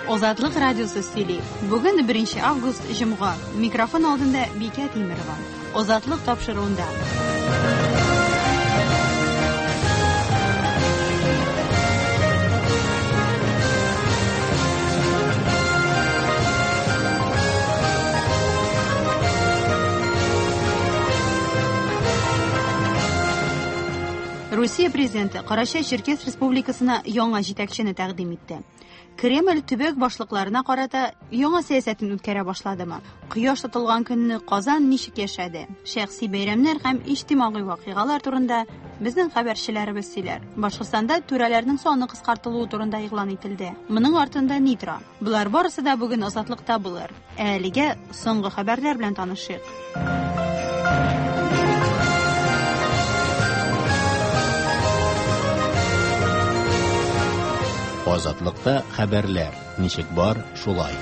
Азатлык радиосы сөйли. Бүген 1 август җомга. Микрофон алдында Бикә Тимерова. Азатлык тапшыруында. Русия президенты Карачай-Черкес республикасына яңа җитәкчене тәкъдим итте. Кремль төбәк башлыкларына карата яңа сәясәтен үткәрә башладымы? Кояш тотылган көнне Казан ничек яшәде? Шәхси бәйрәмнәр һәм иҗтимагый вакыйгалар турында безнең хәбәрчеләребез сөйләр. Башкортстанда түрәләрнең саны кыскартылуы турында игълан ителде. Моның артында ни тора? Болар барысы да бүген Азатлыкта булыр. Ә әлегә соңгы хәбәрләр белән танышыйк. Азатлыкта хәбәрләр ничек бар, шулай.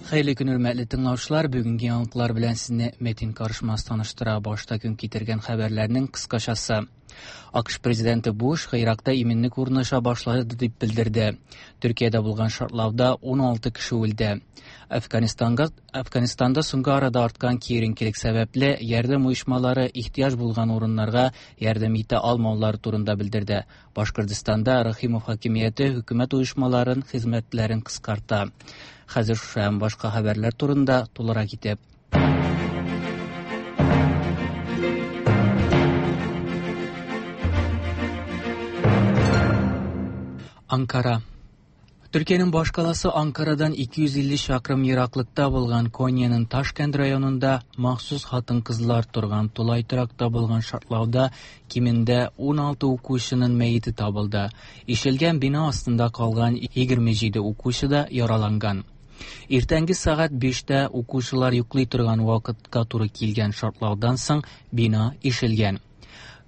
Хәерле көн, хөрмәтле тыңлаучылар. Бүгенге яңалыклар белән сезне Метин Карышмас таныштыра. Башта көн китергән хәбәрләрнең кыскачасы. АКШ президенты Буш Гыйракта иминлек урнаша башлады дип белдерде. Төркиядә булган шартлауда 16 кеше үлде. Әфганстанга Әфганстанда соңгы арада арткан киеренкелек сәбәпле ярдәм оешмалары ихтыяҗ булган урыннарга ярдәм итә алмаулары турында белдерде. Башкортстанда Рахимов хакимияте хөкүмәт оешмаларын хезмәтләрен кыскарта. Хәзер шушы һәм башка хәбәрләр турында тулырак итеп. Анкара. Төркиянең башкаласы Анкарадан 250 чакрым ераклыкта булган Коньяның Ташкент районында махсус хатын-кызлар торган тулай торакта булган шартлауда кимендә 16 укучының мәете табылды. Ишелгән бина астында калган 27 укучы да яраланган. Иртәнге сәгать 5-тә укучылар йоклый торган вакытка туры килгән шартлаудан соң бина ишелгән.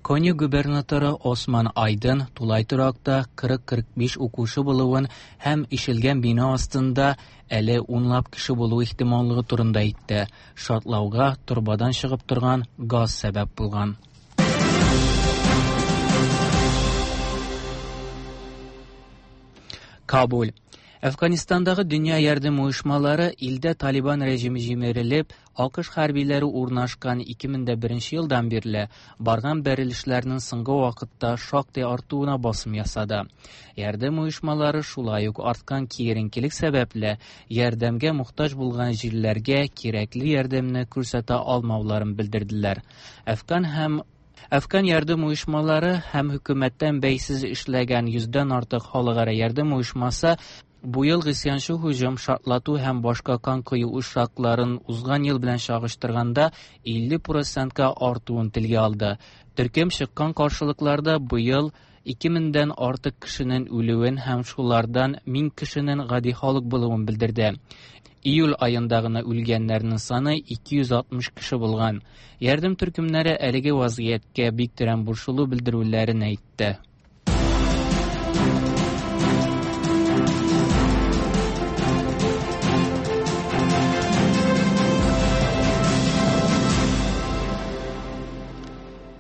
Конья губернаторы Осман Айдын тулай торакта 40-45 укучы булуын һәм ишелгән бина астында әле унлап кеше булу ихтималлыгы турында әйтте. Шартлауга торбадан чыгып торган газ сәбәп булган. Кабул. Әфганистандагы дөнья ярдәм оешмалары илдә Талибан режимы җимерелеп, АКШ хәрбиләре урнашкан 2001 елдан бирле барган бәрелешләрнең соңгы вакытта шактый артуына басым ясады. Ярдәм оешмалары шулай ук арткан киеренкелек сәбәпле ярдәмгә мохтаҗ булган җирләргә кирәкле ярдәмне күрсәтә алмауларын белдерделәр. Әфган һәм Әфган ярдәм оешмалары һәм хөкүмәттән бәйсез эшләгән йөздән артык халыкара ярдәм оешмасы бу ел гыйсъянчы һөҗүм, шартлату һәм башка кан кою очракларын узган ел белән чагыштырганда 50 процентка артуын телгә алды. Төркем чыккан каршылыкларда быел 2000 дән артык кешенең үлүен һәм шулардан 1000 кешенең гади халык булуын белдерде. Июль аенда гына үлгәннәрнең саны 260 кеше булган. Ярдәм төркемнәре әлеге вазгыятькә бик тирән борчылу белдерүләрен әйтте.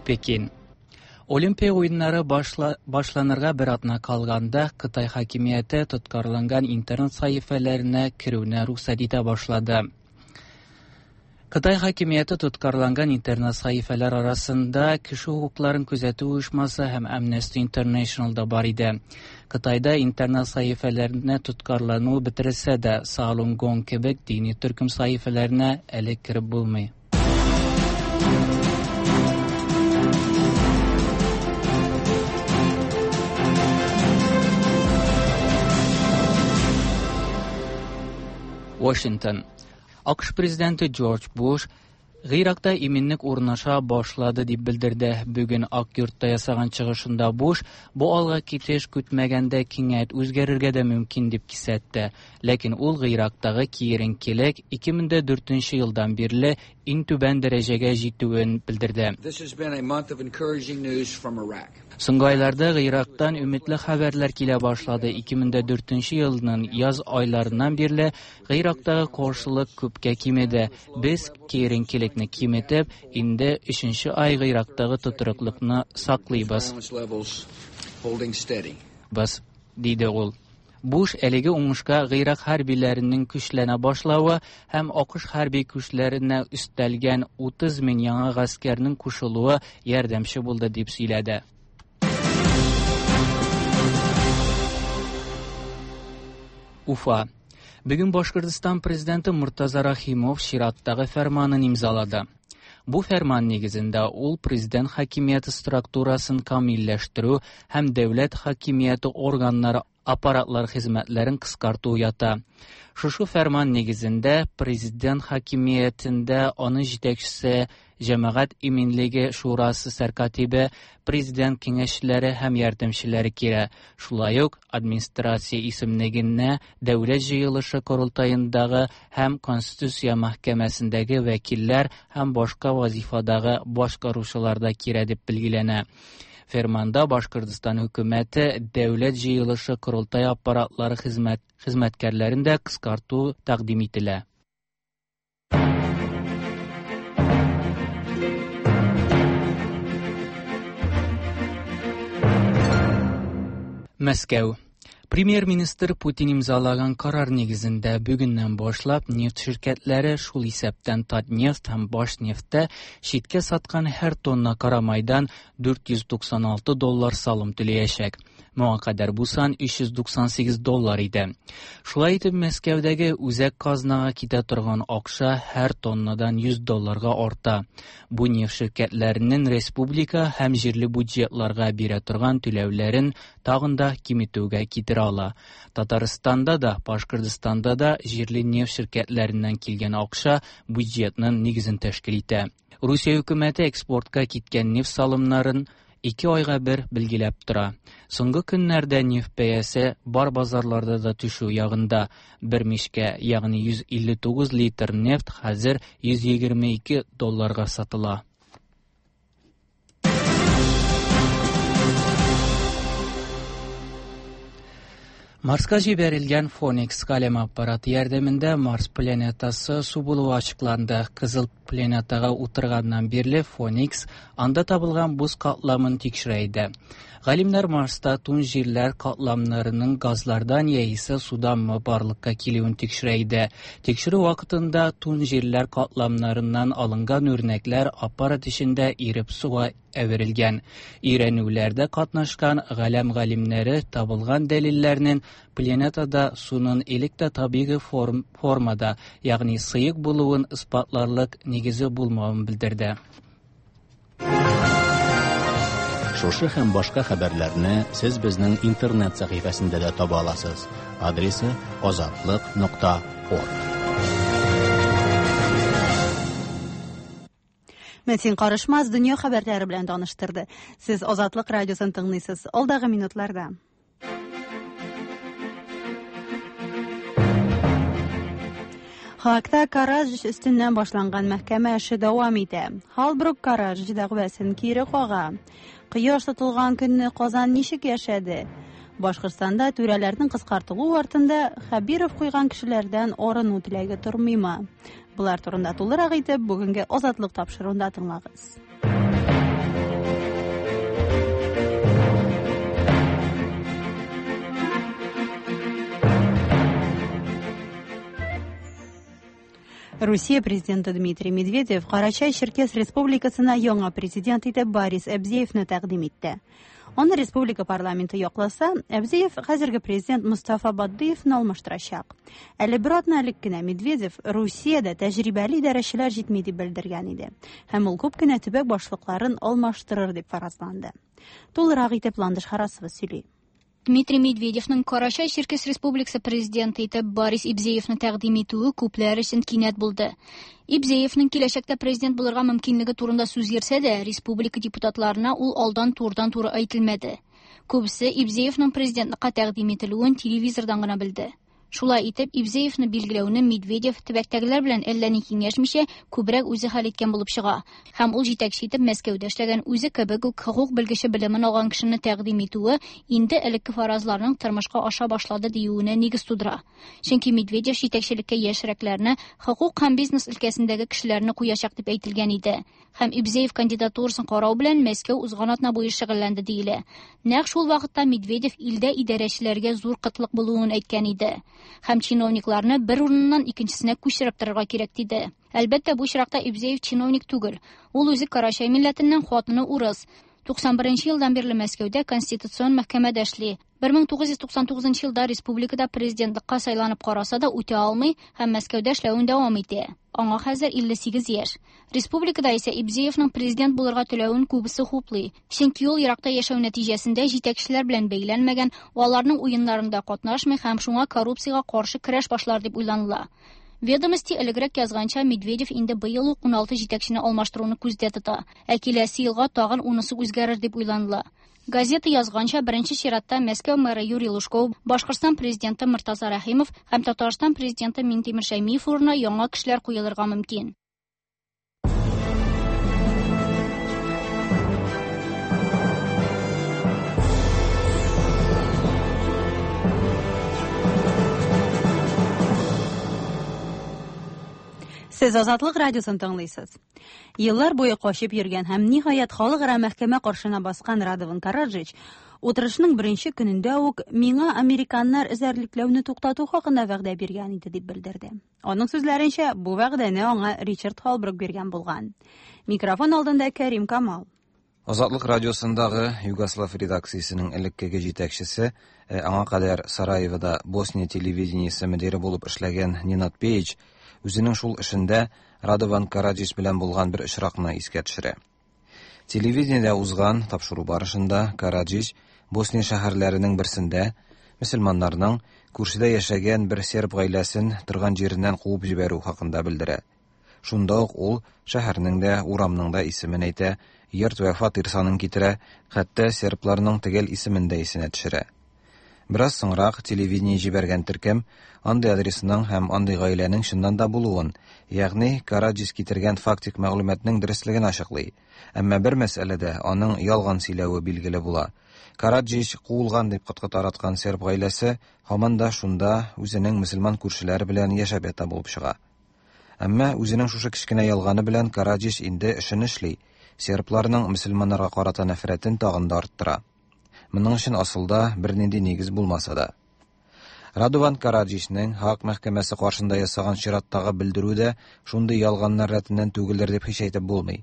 Пекин. Олимпия уеннары башла, башланырга бер атна калганда Кытай хакимияте тоткарланган интернет сәхифәләренә керүне рөхсәт итә башлады. Кытай хакимияте тоткарланган интернет сәхифәләр арасында кеше хокукларын күзәтү оешмасы һәм Amnesty International да бар иде. Кытайда интернет сәхифәләренә тоткарлану бетерелсә дә, Falun Gong кебек дини төркем сәхифәләренә әле кереп булмый. Washington. АКШ президенты Джордж Буш Гыйракта иминлек урнаша башлады дип белдерде. Бүген Ак йортта ясаган чыгышында Буш бу алга китеш көтмәгәндә кинәт үзгәрергә дә мөмкин дип кисәтте. Ләкин ул Гыйрактагы киеренкелек 2004 елдан бирле иң түбән дәрәҗәгә җитүен белдерде. Соңгы айларда Гыйрактан өметле хәбәрләр килә башлады. 2004 елның яз айларыннан бирле Гыйрактагы каршылык күпкә кимеде. Без киеренкелекне киметеп, инде өченче ай Гыйрактагы тотрыклыкны саклыйбыз. Без. диде ул. Буш әлеге уңышка Гыйрак хәрбиләренең көчләнә башлавы һәм АКШ хәрби көчләренә өстәлгән 30 мең яңа гаскәрнең кушылуы ярдәмче булды дип сөйләде. Уфа. Бүген Башкортстан президенты Муртаза Рахимов чираттагы фәрманын имзалады. Бу фәрман нигезендә ул президент хакимияте структурасын камилләштерү һәм дәүләт хакимияте органнары аппаратлар хезмәтләрен кыскарту ята. Шушы фәрман нигезендә президент хакимиятендә аның җитәкчесе Җәмәгать иминлеге шурасы сәркатибе, президент киңәшчеләре һәм ярдәмчеләре кирә. Шулай ук администрация исемлегенә Дәүләт җыелышы корылтаендагы һәм Конституция мәхкәмәсендәге вәкилләр һәм башка вазифадагы башкаручылар да кирә дип билгеләнә. Ферманда Башкортстан хөкүмәте Дәүләт җыелышы корылтай аппаратлары хезмәт хезмәткәрләрен дә кыскарту тәкъдим ителә. Мәскәү. Премьер-министр Путин имзалаган карар нигезендә бүгеннән башлап нефть ширкәтләре, шул исәптән Татнефть һәм Башнефтьтә читкә саткан һәр тонна карамайдан 496 доллар салым түләячәк. Моңа кадәр бу сан 398 доллар иде. Шулай итеп, Мәскәүдәге үзәк казнага китә торган акча һәр тоннадан 100 долларга арта. Бу нефть ширкәтләренең республика һәм җирле бюджетларга бирә торган түләүләрен тагын да киметүгә китерә ала. Татарстанда да, Башкортстанда да җирле нефть ширкәтләреннән килгән акча бюджетның нигезен тәшкил итә. Русия хөкүмәте экспортка киткән нефть салымнарын 2 айга бер билгеләп тора. Соңгы көннәрдә нефть бәясе бар базарларда да төшү ягында. Бер мишкә, ягъни 159 литр нефть хәзер 122 долларга сатыла. Марска җибәрелгән Фоникс галәм аппараты ярдәмендә Марс планетасы су булуы ачыкланды. Кызыл планетага утырганнан бирле Фоникс анда табылган боз катламын тикшерә иде. Галимнәр Марста туң җирләр катламнарының газлардан яисә суданмы барлыкка килүен тикшерә иде. Тикшерү вакытында туң җирләр катламнарыннан алынган үрнәкләр аппарат эчендә иреп суга әверелгән. Өйрәнүләрдә катнашкан галәм галимнәре табылган дәлилләрнең планетада суның элек тә табигый формада, ягъни сыек булуын исбатларлык нигезе булмавын белдерде. Шушы һәм башка хәбәрләрне сез безнең интернет сәхифәсендә дә таба аласыз. Адресы azatliq.org. Мәтин Карышмаз дөнья хәбәрләре белән таныштырды. Сез Азатлык радиосын тыңлыйсыз. Алдагы минутларда. Хакта Караджич өстеннән башланган мәхкәмә эше дәвам итә. Халбрук Караджич дәгъвасын кире кага. Кояш тотылган көнне Казан ничек яшәде? Башкортстанда түрәләрнең кыскартылуы артында Хәбиров куйган кешеләрдән арыну теләге тормыймы? Булар турында тулырак итеп бүгенге Азатлык тапшыруында тыңлагыз. Русия президенты Дмитрий Медведев Карачай-Черкес республикасына яңа президент итеп Борис Әбзеевны тәкъдим итте. Аны республика парламенты якласа, Әбзеев хәзерге президент Мустафа Бадыевны алмаштырачак. Әле бер атна элек кенә Медведев Русиядә тәҗрибәле идарәчеләр җитми дип белдергән иде. Һәм ул күп кенә төбәк башлыкларын алмаштырыр дип фаразланды. Тулырак итеп Ландыш Харасова сөйли. Дмитрий Медведевның Карачай-Черкес республикасы президенты итеп Борис Ибзеевны тәкъдим итүе күпләр өчен кинәт булды. Ибзеевның киләчәктә президент булырга мөмкинлеге турында сүз йөрсә дә, республика депутатларына ул алдан турыдан-туры әйтелмәде. Күбесе Ибзеевның президентлыкка тәкъдим ителүен телевизордан гына белде. Шулай итеп, Ибзеевны билгеләүне Медведев төбәктәгеләр белән әллә ни киңәшмичә, күбрәк үзе хәл иткән булып чыга. Һәм ул җитәкче итеп Мәскәүдә эшләгән үзе кебек үк хокук белгече белемен алган кешене тәкъдим итүе инде элекке фаразларның тормышка аша башлады диюенә нигез тудыра. Чөнки Медведев җитәкчелеккә яшьрәкләрне, хокук һәм бизнес өлкәсендәге кешеләрне куячак дип әйтелгән иде. Һәм Ибзеев кандидатурасын карау белән Мәскәү узган атна буе шөгыльләнде диелә. Нәкъ шул вакытта Медведев илдә идарәчеләргә зур кытлык булуын әйткән иде. Һәм чиновникларны бер урыннан икенчесенә күчереп торырга кирәк диде. Әлбәттә, бу очракта Ибзеев чиновник түгел. Ул үзе Карачай милләтеннән, хатыны урыс. 91 елдан бирле Мәскәүдә Конституцион мәхкәмәдә эшли. 1999 елда республикада президентлыкка сайланып караса да үтә алмый һәм Мәскәүдә эшләвен дәвам итә. Аңа хәзер 58 яшь. Республикада исә Ибзеевның президент булырга теләвен күбесе хуплый. Чөнки ул еракта яшәү нәтиҗәсендә җитәкчеләр белән бәйләнмәгән, аларның уеннарында катнашмый һәм шуңа коррупциягә каршы көрәш башлар дип уйланыла. Ведомости элегрәк язганча, Медведев инде быел ук 16 җитәкчене алмаштыруны күздә тота. Ә киләсе елга тагын 10-сы үзгәрер дип уйланыла. Газета язганча, беренче чиратта Мәскәү мэры Юрий Лужков, Башкортстан президенты Мортаза Рәхимов һәм Татарстан президенты Минтимер Шәймиев урынына яңа кешеләр куелырга мөмкин. Сез Азатлык радиосын тыңлыйсыз. Еллар буе качып йөргән һәм ниһаять халыкара мәхкәмә каршына баскан Радован Караджич утырышның беренче көнендә үк миңа американнар эзәрлекләүне туктату хакында вәгъдә биргән иде дип белдерде. Аның сүзләренчә, бу вәгъдәне аңа Ричард Холбрук биргән булган. Микрофон алдында Кәрим Камал. Азатлык радиосындагы Югослав редакциясенең элеккеге җитәкчесе, аңа кадәр Сараевода Босния телевидениесе мөдире булып эшләгән Нинад Пеич үзенең шул эшендә Радован Караджич белән булган бер очракны искә төшерә. Телевидениедә узган тапшыру барышында Караджич Босния шәһәрләренең берсендә мөселманнарның күршедә яшәгән бер серб гаиләсен торган җиреннән куып җибәрү хакында белдерә. Шунда ук ул шәһәрнең дә, урамның да исемен әйтә, йорт вә фатир санын китерә, хәтта сербларның төгәл исемен дә исенә төшерә. Бераз соңрак телевидение җибәргән төркем андый адресның һәм андый гаиләнең чыннан да булуын, ягъни Караджис китергән фактик мәгълүматның дөреслеген ачыклый. Әмма бер мәсьәләдә аның ялган сөйләве билгеле була. Караджич куылган дип коткы тараткан серб гаиләсе һаман да шунда үзенең мөселман күршеләре белән яшәп ята булып чыга. Әмма үзенең шушы кечкенә ялганы белән Караджич инде эшен эшли, сербларның мөселманнарга карата нәфрәтен тагын да арттыра. Моның өчен асылда бернинди нигез булмаса да. Радован Караджичның Һааг мәхкәмәсе каршында ясаган чираттагы белдерү дә шундый ялганнар рәтеннән түгелдер дип һич әйтеп булмый.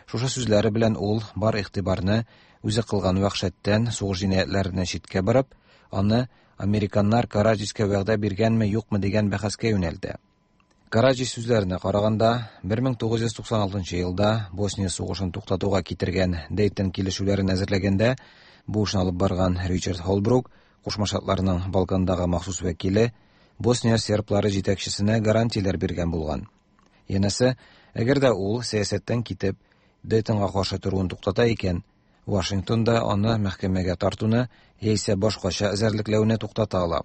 Шушы сүзләре белән ул бар игътибарны үзе кылган вәхшәттән, сугыш җинаятьләреннән читкә борып, аны американнар Караджичка вәгъдә биргәнме, юкмы дигән бәхәскә юнәлтә. Караджич сүзләренә караганда, 1996 елда Босния сугышын туктатуга китергән Дейтон килешүләрен әзерләгәндә, бу эшне алып барган Ричард Холбрук, Кушма Штатларның Балкандагы махсус вәкиле, Босния серблары җитәкчесенә гарантияләр биргән булган. Янәсе, әгәр дә ул сәясәттән китеп, Дейтонга каршы торуын туктата икән, Вашингтонда аны мәхкәмәгә тартуны яисә башкача эзәрлекләүне туктата ала.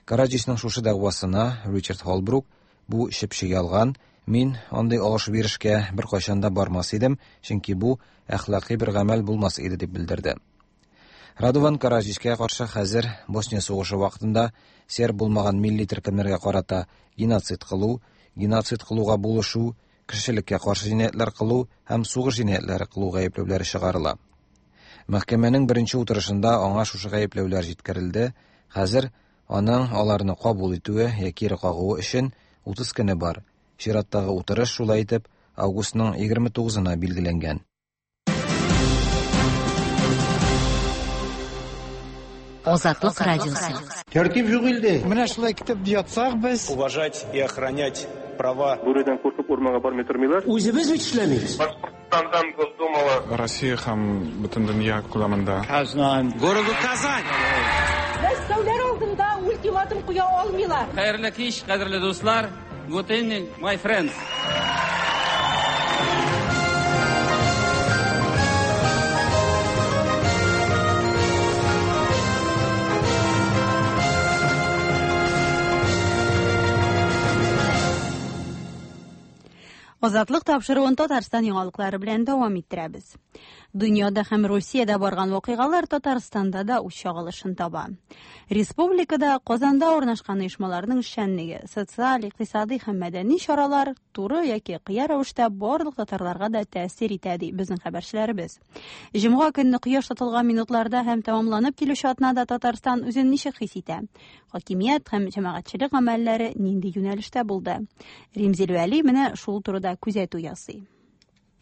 Караджичның шушы дәгъвасына Ричард Холбрук бу чеп-чи ялган, мин андый алыш-бирешкә беркайчан да бармас идем, чөнки бу әхлакый бер гамәл булмас иде дип белдерде. Радован Караджичка каршы хәзер Босния сугышы вакытында серб булмаган милли төркемнәргә карата геноцид кылу, геноцид кылуга булышу, кешелеккә каршы җинаятьләр кылу һәм сугыш җинаятьләре кылу гаепләүләре чыгарыла. Мәхкәмәнең беренче утырышында аңа шушы гаепләүләр җиткерелде. Хәзер аның аларны кабул итүе яки кире кагуы өчен 30 көне бар. Чираттагы утырыш шулай итеп августның 29-на билгеләнгән. Азатлык радиосы. Тәртип юк илдә. Менә шулай китеп ятсак без. Уважать и охранять права. Бүредән куркып урманга бармый тормыйлар. Үзебез бит эшләмибез. Башкортстандан Госдумала. Россия һәм бөтен дөнья күләмендә. Казан. Городу Казань. Мәскәүләр алдында ультиматум куя алмыйлар. Хәерле кич, кадерле дуслар. Good evening, my friends. Азатлык тапшыруын Татарстан яңалыклары белән дәвам иттерәбез. Дөньяда һәм Русиядә барган вакыйгалар Татарстанда да үз чагылышын таба. Республикада Казанда урнашкан оешмаларның эшчәнлеге, социаль, икътисадый һәм мәдәни чаралар туры яки кыя рәвештә барлык татарларга да тәэсир итә, ди безнең хәбәрчеләребез. Җомга көнне кояш тотылган минутларда һәм тәмамланып килүче атнада Татарстан үзен ничек хис итә? Хакимият һәм җәмәгатьчелек гамәлләре нинди юнәлештә булды? Римзил Вәли менә шул турыда күзәтү ясый.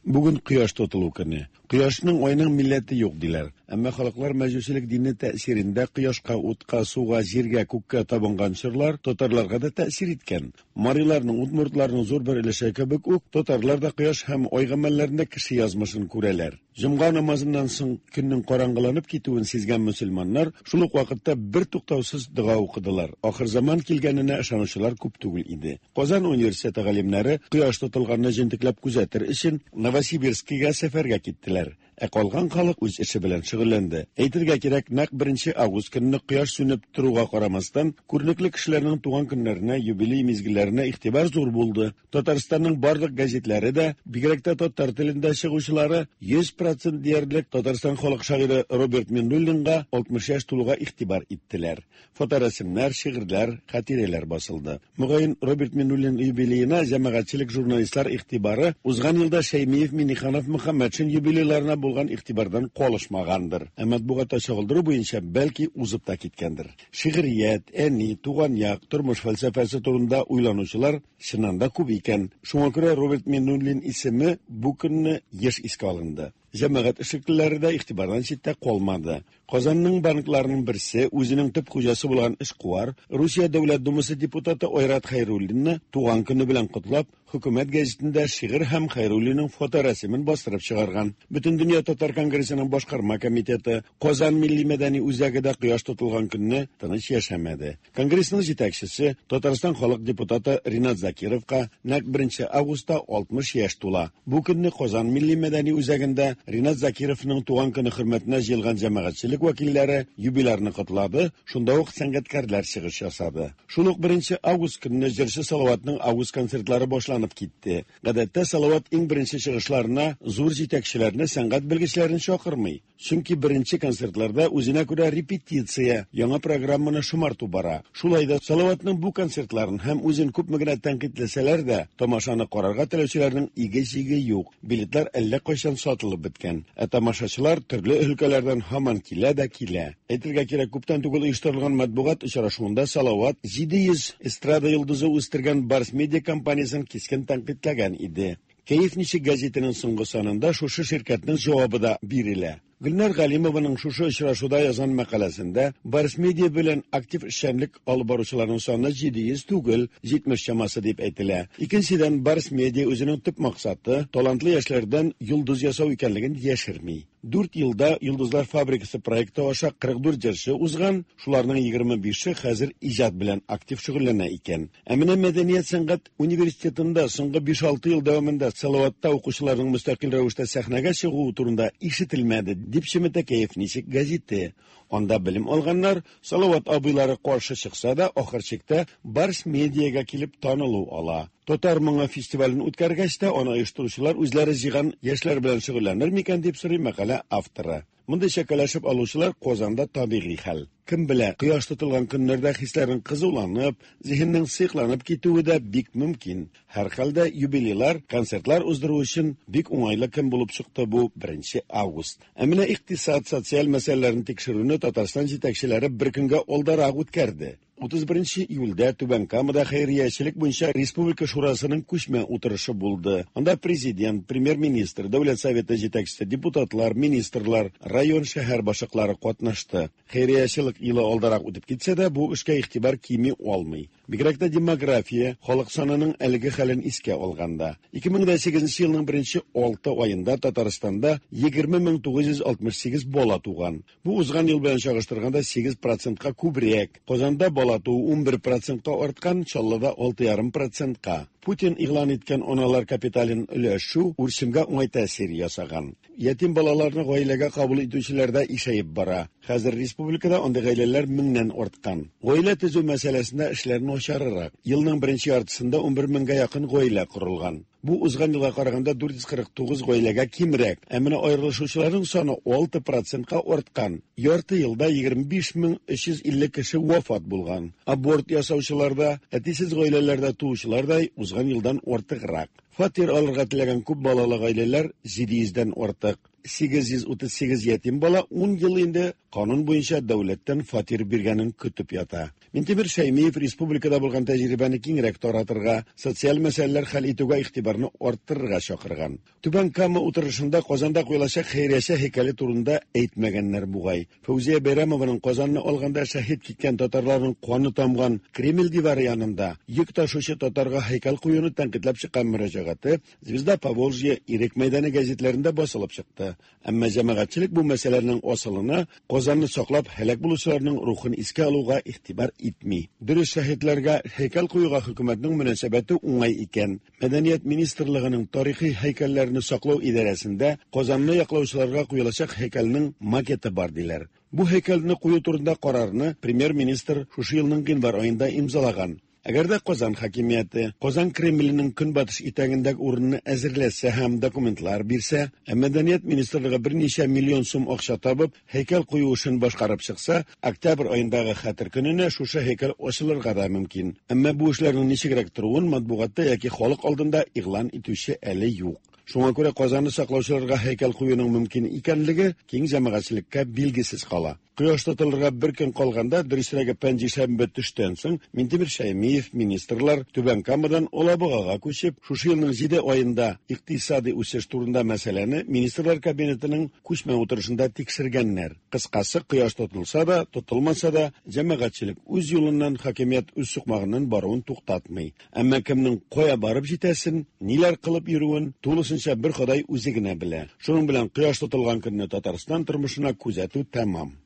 Бүген кояш тотылу көне. Кояшның, айның милләте юк, диләр. Әмма халыклар мәҗүсилек дине тәэсирендә кояшка, утка, суга, җиргә, күккә табынган чорлар татарларга да тәэсир иткән. Мариларның, удмуртларның зур бер өлеше кебек үк, татарлар да кояш һәм ай гамәлләрендә кеше язмышын күрәләр. Җомга намазыннан соң көннең караңгыланып китүен сизгән мөселманнар шул ук вакытта бертуктаусыз дога укыдылар. Ахырзаман килгәненә ышанучылар күп түгел иде. Казан университеты галимнәре кояш тотылганны җентекләп күзәтер өчен Новосибирскига сәфәргә киттеләр. Ә калган халык үз эше белән шөгыльләнде. Әйтергә кирәк, нәкъ беренче август көнне кояш сүнеп торуга карамастан, күренекле кешеләрнең туган көннәренә, юбилей мизгелләренә игътибар зур булды. Татарстанның барлык гәзитләре дә, бигрәк тә татар телендә чыгучылары, 100 процент диярлек Татарстан халык шагыйре Роберт Миннуллинга 60 яшь тулуга игътибар иттеләр. Фоторәсемнәр, шигырьләр, хатирәләр басылды. Мөгаен, Роберт Миннуллин юбилеена җәмәгатьчелек, журналистлар игътибары узган елда Шәймиев, Миңнеханов, Мөхәммәтшин юбилейларына булган игътибардан калышмагандыр. Ә матбугатта чагылдыру буенча, бәлки, узып та киткәндер. Шигърият, әни, туган як, тормыш фәлсәфәсе турында уйланучылар чыннан да күп икән. Шуңа күрә Роберт Миннуллин исеме бу көнне еш искә алынды. Җәмәгать эшлеклеләре дә игътибардан читтә калмады. Казанның банкларының берсе үзенең төп хуҗасы булган эшкуар, Русия Дәүләт Думасы депутаты Айрат Хәйруллинны туган көне белән котлап, Хөкүмәт гәзитендә шигырь һәм Хәйруллинның фоторәсемен бастырып чыгарган. Бөтендөнья татар конгрессының башкарма комитеты, Казан милли-мәдәни үзәге дә кояш тотылган көнне тыныч яшәмәде. Конгрессның җитәкчесе, Татарстан халык депутаты Ринат Закировка нәкъ беренче августта 60 яшь тула. Бу көнне Казан милли-мәдәни үзәгендә Ринат Закировның туган көне хөрмәтенә җыелган җәмәгатьчелек вәкилләре юбилярны котлады, шунда ук сәнгатькәрләр чыгыш ясады. Шул ук беренче август көнне җырчы Салаватның август концертлары башланып китте. Гадәттә, Салават иң беренче чыгышларына зур җитәкчеләрне, сәнгать белгечләрен чакырмый. Чөнки беренче концертларда үзенә күрә репетиция, яңа программаны шомарту бара. Шулай да Салаватның бу концертларын һәм үзен күпме генә тәнкыйтьләсәләр дә, тамашаны карарга теләүчеләрнең иге-чиге юк. Билетлар әллә кайчан сатылып беткән. Ә тамашачылар төрле өлкәләрдән һаман килә дә килә. Әйтергә кирәк, күптән түгел оештырылган матбугат очрашуында Салават 700 эстрада йолдызы үстергән Барс Медиа компаниясен кискен тәнкыйтьләгән иде. Кәеф ничек гәзитенең соңгы санында шушы ширкәтнең җавабы да бирелә. Гөлнар Галимованың шушы очрашуда язган мәкаләсендә Барс Медиа белән актив эшчәнлек алып баручыларның саны 700 түгел, 70 чамасы дип әйтелә. Икенчедән, Барс Медиа үзенең төп максаты, талантлы яшьләрдән йолдыз ясау икәнлеген яшерми. Дүрт елда Йолдызлар фабрикасы проекты аша 44 җырчы узган, шуларның 25-е хәзер иҗат белән актив шөгыльләнә икән. Ә менә мәдәният-сәнгать университетында соңгы биш-алты ел дәвамында Салаватта укучыларның мөстәкыйль рәвештә сәхнәгә чыгуы турында ишетелмәде, дип чеметә Кәеф ничек гәзите. Анда белем алганнар, Салават абыйлары каршы чыкса да, ахыр чиктә Барс Медиага килеп танылу ала. Татар моңы фестивален үткәргәч тә, аны оештыручылар үзләре җыйган яшьләр белән шөгыльләнер микән, дип сорый мәкалә авторы. Мондый чәкәләшеп алучылар Казанда табигый хәл. Кем белә, кояш тотылган көннәрдә хисләрнең кызуланып, зиһеннең сыекланып китүе дә бик мөмкин. Һәрхәлдә, юбилейлар, концертлар уздыру өчен бик уңайлы көн булып чыкты бу беренче август. Ә менә икътисад, социаль мәсьәләләрне тикшерүне Татарстан җитәкчеләре бер көнгә алдарак үткәрде. 31 нче июльдә Түбән Камада хәйриячелек буенча республика шурасының күчмә утырышы булды. Анда Президент, Премьер-министр, Дәүләт Советы җитәкчесе, депутатлар, министрлар, район, шәһәр башлыклары катнашты. Хәйриячелек елы алдарак үтеп китсә дә, бу эшкә игътибар кими алмый. Бигрәк тә демография, халык санының әлеге хәлен искә алганда. 2008 нче елның беренче алты аенда Татарстанда 20 968 бала туган. Бу узган ел белән чагыштырганда 8 процентка күбрәк. Казанда бала туу 11 процентка арткан, Чаллыда 6,5 процентка. Путин игълан иткән аналар капитален өләшү үрчемгә уңай тәэсир ясаган. Ятим балаларны гаиләгә кабул итүчеләр дә ишәеп бара. Хәзер республикада андый гаиләләр меңнән арткан. Гаилә төзү мәсьәләсендә эшләр начарырак. Елның беренче яртысында 11 меңгә якын гаилә корылган. Бу узган елга караганда 449 гаиләгә кимрәк. Ә менә аерылышучыларның саны 6 процентка арткан. Ярты елда 25350 кеше вафат булган. Аборт ясаучылар да, әтисез гаиләләрдә туучылар да узган елдан артыграк. Фатир алырга теләгән күп балалы гаиләләр 700 дән артык. 838 ятим бала 10 ел инде канун буенча дәүләттән фатир биргәнен көтеп ята. Минтимер Шәймиев республикада булган тәҗрибәне киңрәк таратырга, социаль мәсьәләләр хәл итүгә игътибарны арттырырга чакырган. Түбән Кама утырышында Казанда куелачак хәйрияче һәйкәле турында әйтмәгәннәр бугай. Фәүзия Бәйрәмованың Казанны алганда шәһит киткән татарларның каны тамган Кремль дивары янында йөк ташучы татарга һәйкәл куюны тәнкыйтьләп чыккан мөрәҗәгате Звезда Поволжья, Ирек мәйданы гәзитләрендә басылып чыкты. Әмма җәмәгатьчелек бу мәсьәләнең асылына Казанны саклап һәлак булучыларның рухын искә алуга игътибар итми. Дөрес, шәһитләргә һәйкәл куюга хөкүмәтнең мөнәсәбәте уңай икән. Мәдәният министрлыгының тарихи һәйкәлләрне саклау идарәсендә Казанны яклаучыларга куелачак һәйкәлнең макеты бар диләр. Бу һәйкәлне кую турында карарны премьер-министр шушы елның гыйнвар аенда имзалаган. Әгәр дә Казан хакимияте Казан Кремленең көнбатыш итәгендәге урынны әзерләсә һәм документлар бирсә, ә Мәдәният министрлыгы берничә миллион сум акча табып, һәйкәл кую эшен башкарып чыкса, октябрь аендагы Хәтер көненә шушы һәйкәл ачылырга да мөмкин. Әмма бу эшләрнең ничегрәк торуын матбугатта яки халык алдында игълан итүче әле юк. Шуңа күрә Казанны саклаучыларга һәйкәл куюның мөмкин икәнлеге киң җәмәгатьчелеккә билгесез кала. Кояш тотылырга бер көн калганда, дөресрәге пәнҗешәмбе төштән соң, Минтимер Шәймиев, министрлар Түбән Камадан Алабугага күчеп, шушы елның 7 аенда икътисади үсеш турында мәсьәләне Министрлар Кабинетының күчмә утырышында тикшергәннәр. Кыскасы, кояш тотылса да, тотылмаса да, җәмәгатьчелек үз юлыннан, хакимият үз сукмагыннан баруын туктатмый. Әмма кемнең кая барып җитәсен, ниләр кылып йөрүен тулысынча бер Ходай үзе генә белә. Шуның белән кояш тотылган көнне Татарстан тормышына күзәтү тәмам.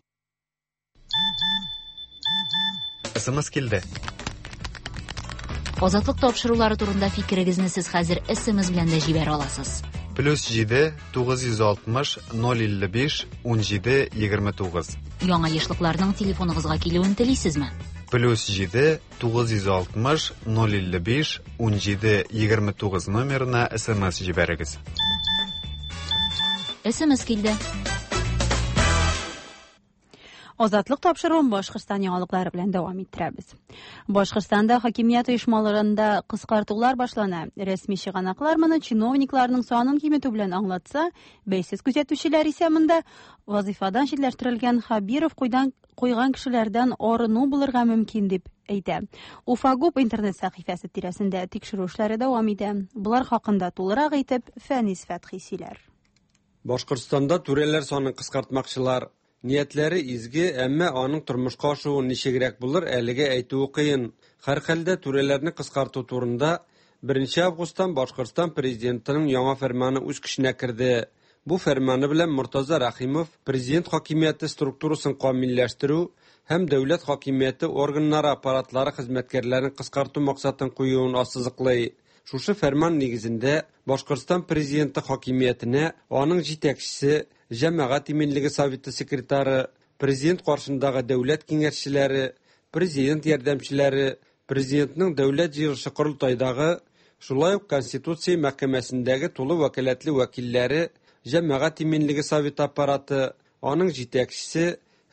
СМС килде. Азатлык тапшырулары турында фикерегезне сез хәзер СМС белән дә җибәрә аласыз. Плюс 7 960 055 17 29. Яңа ешлыкларның телефоныгызга килүен телисезме? Плюс 7 960 055 17 29 номерына СМС җибәрегез. СМС килде. Азатлык тапшыруын Башкортстан яңалыклары белән дәвам иттерәбез. Башкортстанда хакимият оешмаларында кыскартулар башлана. Рәсми чыганаклар моны чиновникларның санын киметү белән аңлатса, бәйсез күзәтүчеләр исә монда вазифадан читләштерелгән Хабиров куйдан куйган кешеләрдән арыну булырга мөмкин дип әйтә. Уфагуб интернет сәхифәсе тирәсендә тикшерү эшләре дәвам итә. Болар хакында тулырак итеп Фәнис Фәтхи сөйләр. Башкортстанда түрәләр санын кыскартмакчылар. Ниятләре изге, әмма аның тормышка ашуы ничегрәк булыр, әлегә әйтүе кыен. Һәрхәлдә түрәләрне кыскарту турында 1 августтан Башкортстан президентының яңа фәрманы үз көченә керде. Бу фәрманы белән Мортаза Рәхимов президент хакимияте структурасын камилләштерү һәм дәүләт хакимияте органнары аппаратлары хезмәткәрләрен кыскарту максатын куюын ассызыклый. Шушы фәрман нигезендә Башкортстан президенты хакимиятенә аның җитәкчесе, Җәмәгать иминлеге советы секретаре, президент каршындагы дәүләт киңәшчеләре, президент ярдәмчеләре, президентның дәүләт җыелышы корылтайдагы, шулай ук Конституция мәхкәмәсендәге тулы вәкаләтле вәкилләре, Җәмәгать иминлеге советы аппараты, аның җитәкчесе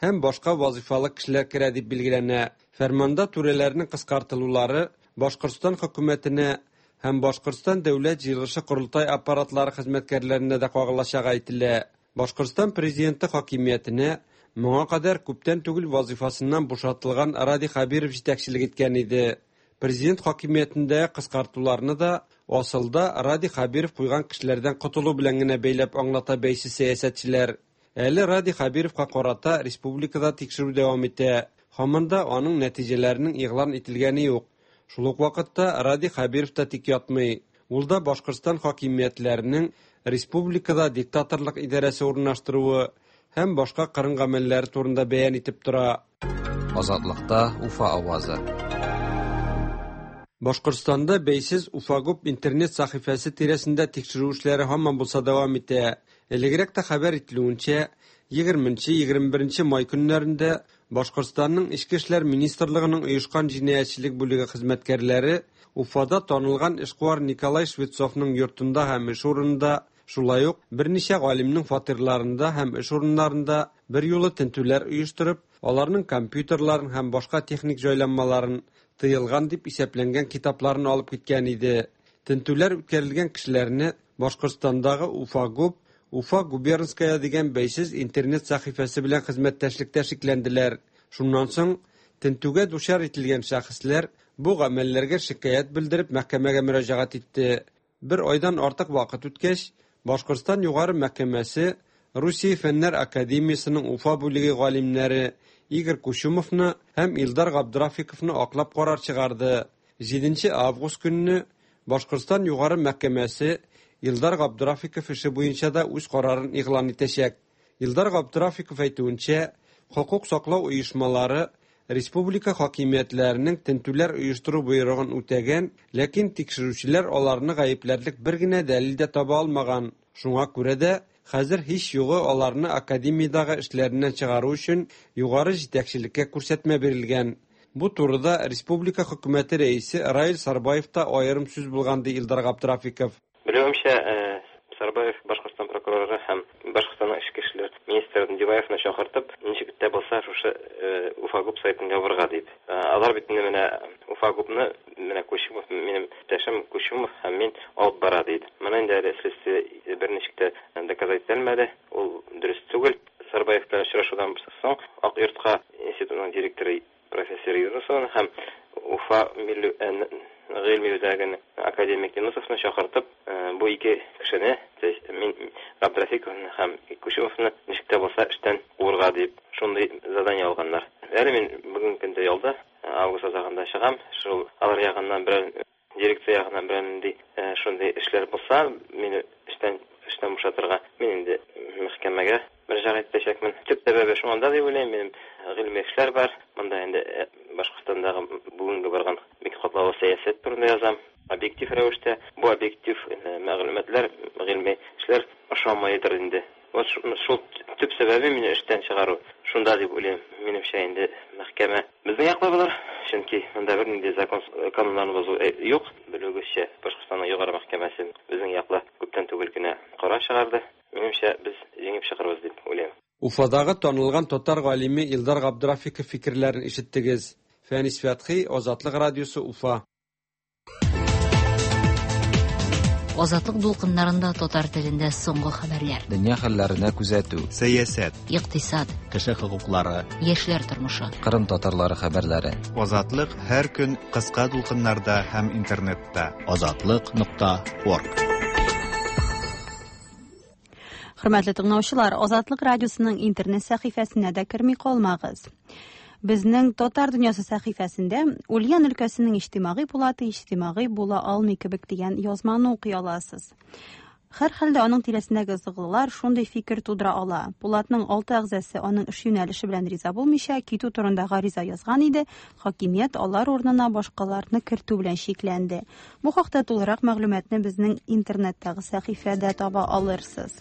һәм башка вазифалы кешеләр керә дип билгеләнә. Фәрманда түрәләрнең кыскартылулары Башкортстан хөкүмәтенә һәм Башкортстан дәүләт җыелышы корылтай аппаратлары хезмәткәрләренә дә кагылачагы әйтелә. Башкортстан президенты хакимиятенә моңа кадәр күптән түгел вазифасыннан бушатылган Радий Хәбиров җитәкчелек иткән иде. Президент хакимиятендә кыскартуларны да асылда Радий Хәбиров куйган кешеләрдән котылу белән генә бәйләп аңлата бәйсез сәясәтчеләр. Әле Радий Хәбировка карата республикада тикшерү дәвам итә. Һаман да аның нәтиҗәләренең игълан ителгәне юк. Шул ук вакытта Радий Хәбиров та тик ятмый. Ул да Башкортстан хакимиятләренең республикада диктаторлык идарәсе урнаштыруы һәм башка кырын гамәлләре турында бәян итеп тора. Азатлыкта Уфа авазы. Башкортстанда бәйсез Уфагуб интернет сәхифәсе тирәсендә тикшерү эшләре һаман булса дәвам итә. Элегрәк тә хәбәр ителүенчә, 20-21 май көннәрендә Башкортстанның Эчке эшләр министрлыгының оешкан җинаятьчелек бүлеге хезмәткәрләре Уфада танылган эшкуар Николай Швецовның йортында һәм эш урынында, шулай ук берничә галимнең фатирларында һәм эш урыннарында берьюлы тентүләр оештырып, аларның компьютерларын һәм башка техник җайланмаларын, тыелган дип исәпләнгән китапларын алып киткән иде. Тентүләр үткәрелгән кешеләрне Башкортстандагы Уфагуб, Уфа губернская дигән бәйсез интернет сәхифәсе белән хезмәттәшлектә шикләнделәр. Шуннан соң тентүгә дучар ителгән шәхесләр бу гамәлләргә шикаять белдереп мәхкәмәгә мөрәҗәгать итте. Бер айдан артык вакыт үткәч, Башкортстан Югары мәхкәмәсе Русия Фәннәр академиясенең Уфа бүлеге галимнәре Игорь Кучумовны һәм Илдар Габдрафиковны аклап карар чыгарды. 7 август көнне Башкортстан Югары мәхкәмәсе Илдар Габдрафиков эше буенча да үз карарын игълан итәчәк. Илдар Габдрафиков әйтүенчә, хокук саклау оешмалары республика хакимиятләренең тентүләр оештыру боерыгын үтәгән, ләкин тикшерүчеләр аларны гаепләрлек бер генә дәлил дә таба алмаган. Шуңа күрә дә хәзер һич югы аларны академиядәге эшләреннән чыгару өчен югары җитәкчелеккә күрсәтмә бирелгән. Бу турыда республика хөкүмәте рәисе Раил Сарбаев та аерым сүз булган, ди Илдар Габдрафиков. Белүемчә, Сарбаев Башкортстан прокуроры һәм Башкортстанның эчке эшләр министры Диваевны чакыртып, ничек тә булса шушы Уфагуб сайтын ябырга дип. Алар бит инде менә Уфагубны менә Кучумов, минем иптәшем Кучумов һәм мин алып бара дип. Моны инде әле следствие берничек тә доказать итәлмәде, ул дөрес түгел. Сарбаев белән очрашудан соң Ак йортка институтның директоры профессор Юнусовны һәм Уфа милли гыйльми үзәгенең академик Юнусовны чакыртып, бу ике кешене, то есть мин Габдрафиковны һәм Кучумовны ничек тә булса эштән куырга дип, шундый задание алганнар. Әле мин бүгенге көндә ялда, август азагында чыгам, шул алар ягыннан берәр Дирекция ягыннан берәр нинди шундый эшләр булса, мине эштән эштән бушатырга, мин инде мәхкәмәгә мөрәҗәгать итәчәкмен. Төп сәбәбе шуңанда дип уйлыйм, минем гыйльми эшләр бар. Монда инде Башкортстандагы бүгенге барган бик катлаулы сәясәт турында язам. Объектив рәвештә. Бу объектив мәгълүматлар, гыйльми эшләр ошамыйдыр инде. Вот шул төп сәбәбе мине эштән чыгару шунда дип уйлыйм. Минемчә инде мәхкәмә безнең яклы булыр, чөнки монда бернинди закон кануннарны бозу юк. Белүегезчә, Башкортстанның Югары мәхкәмәсе безнең яклы күптән түгел генә карар чыгарды. Минемчә, без җиңеп чыгарбыз дип уйлыйм. Уфадагы танылган татар галиме Илдар Габдрафиков фикерләрен ишеттегез. Фәнис Фәтхи, Азатлык радиосы, Уфа. Азатлык дулкыннарында татар телендә соңгы хәбәрләр. Дөнья хәлләренә күзәтү. Сәясәт. Икътисад. Кеше хокуклары. Яшьләр тормышы. Кырым татарлары хәбәрләре. Азатлык һәр көн кыска дулкыннарда һәм интернетта. Азатлык.орг. Хөрмәтле тыңлаучылар, Азатлык радиосының интернет сәхифәсенә дә керми калмагыз. Безнең Татар дөньясы сәхифәсендә Ульян өлкәсенең иҗтимагый пулаты иҗтимагый була алмый кебек дигән язманы укый аласыз. Һәрхәлдә аның тирәсендәге ызыглылар шундый фикер тудыра ала. Пулатның алты әгъзасы аның эш юнәлеше белән риза булмыйча, китү турында гариза язган иде, хакимият алар урынына башкаларны кертү белән чикләнде. Бу хакта тулырак мәгълүматны безнең интернеттагы сәхифәдә таба алырсыз.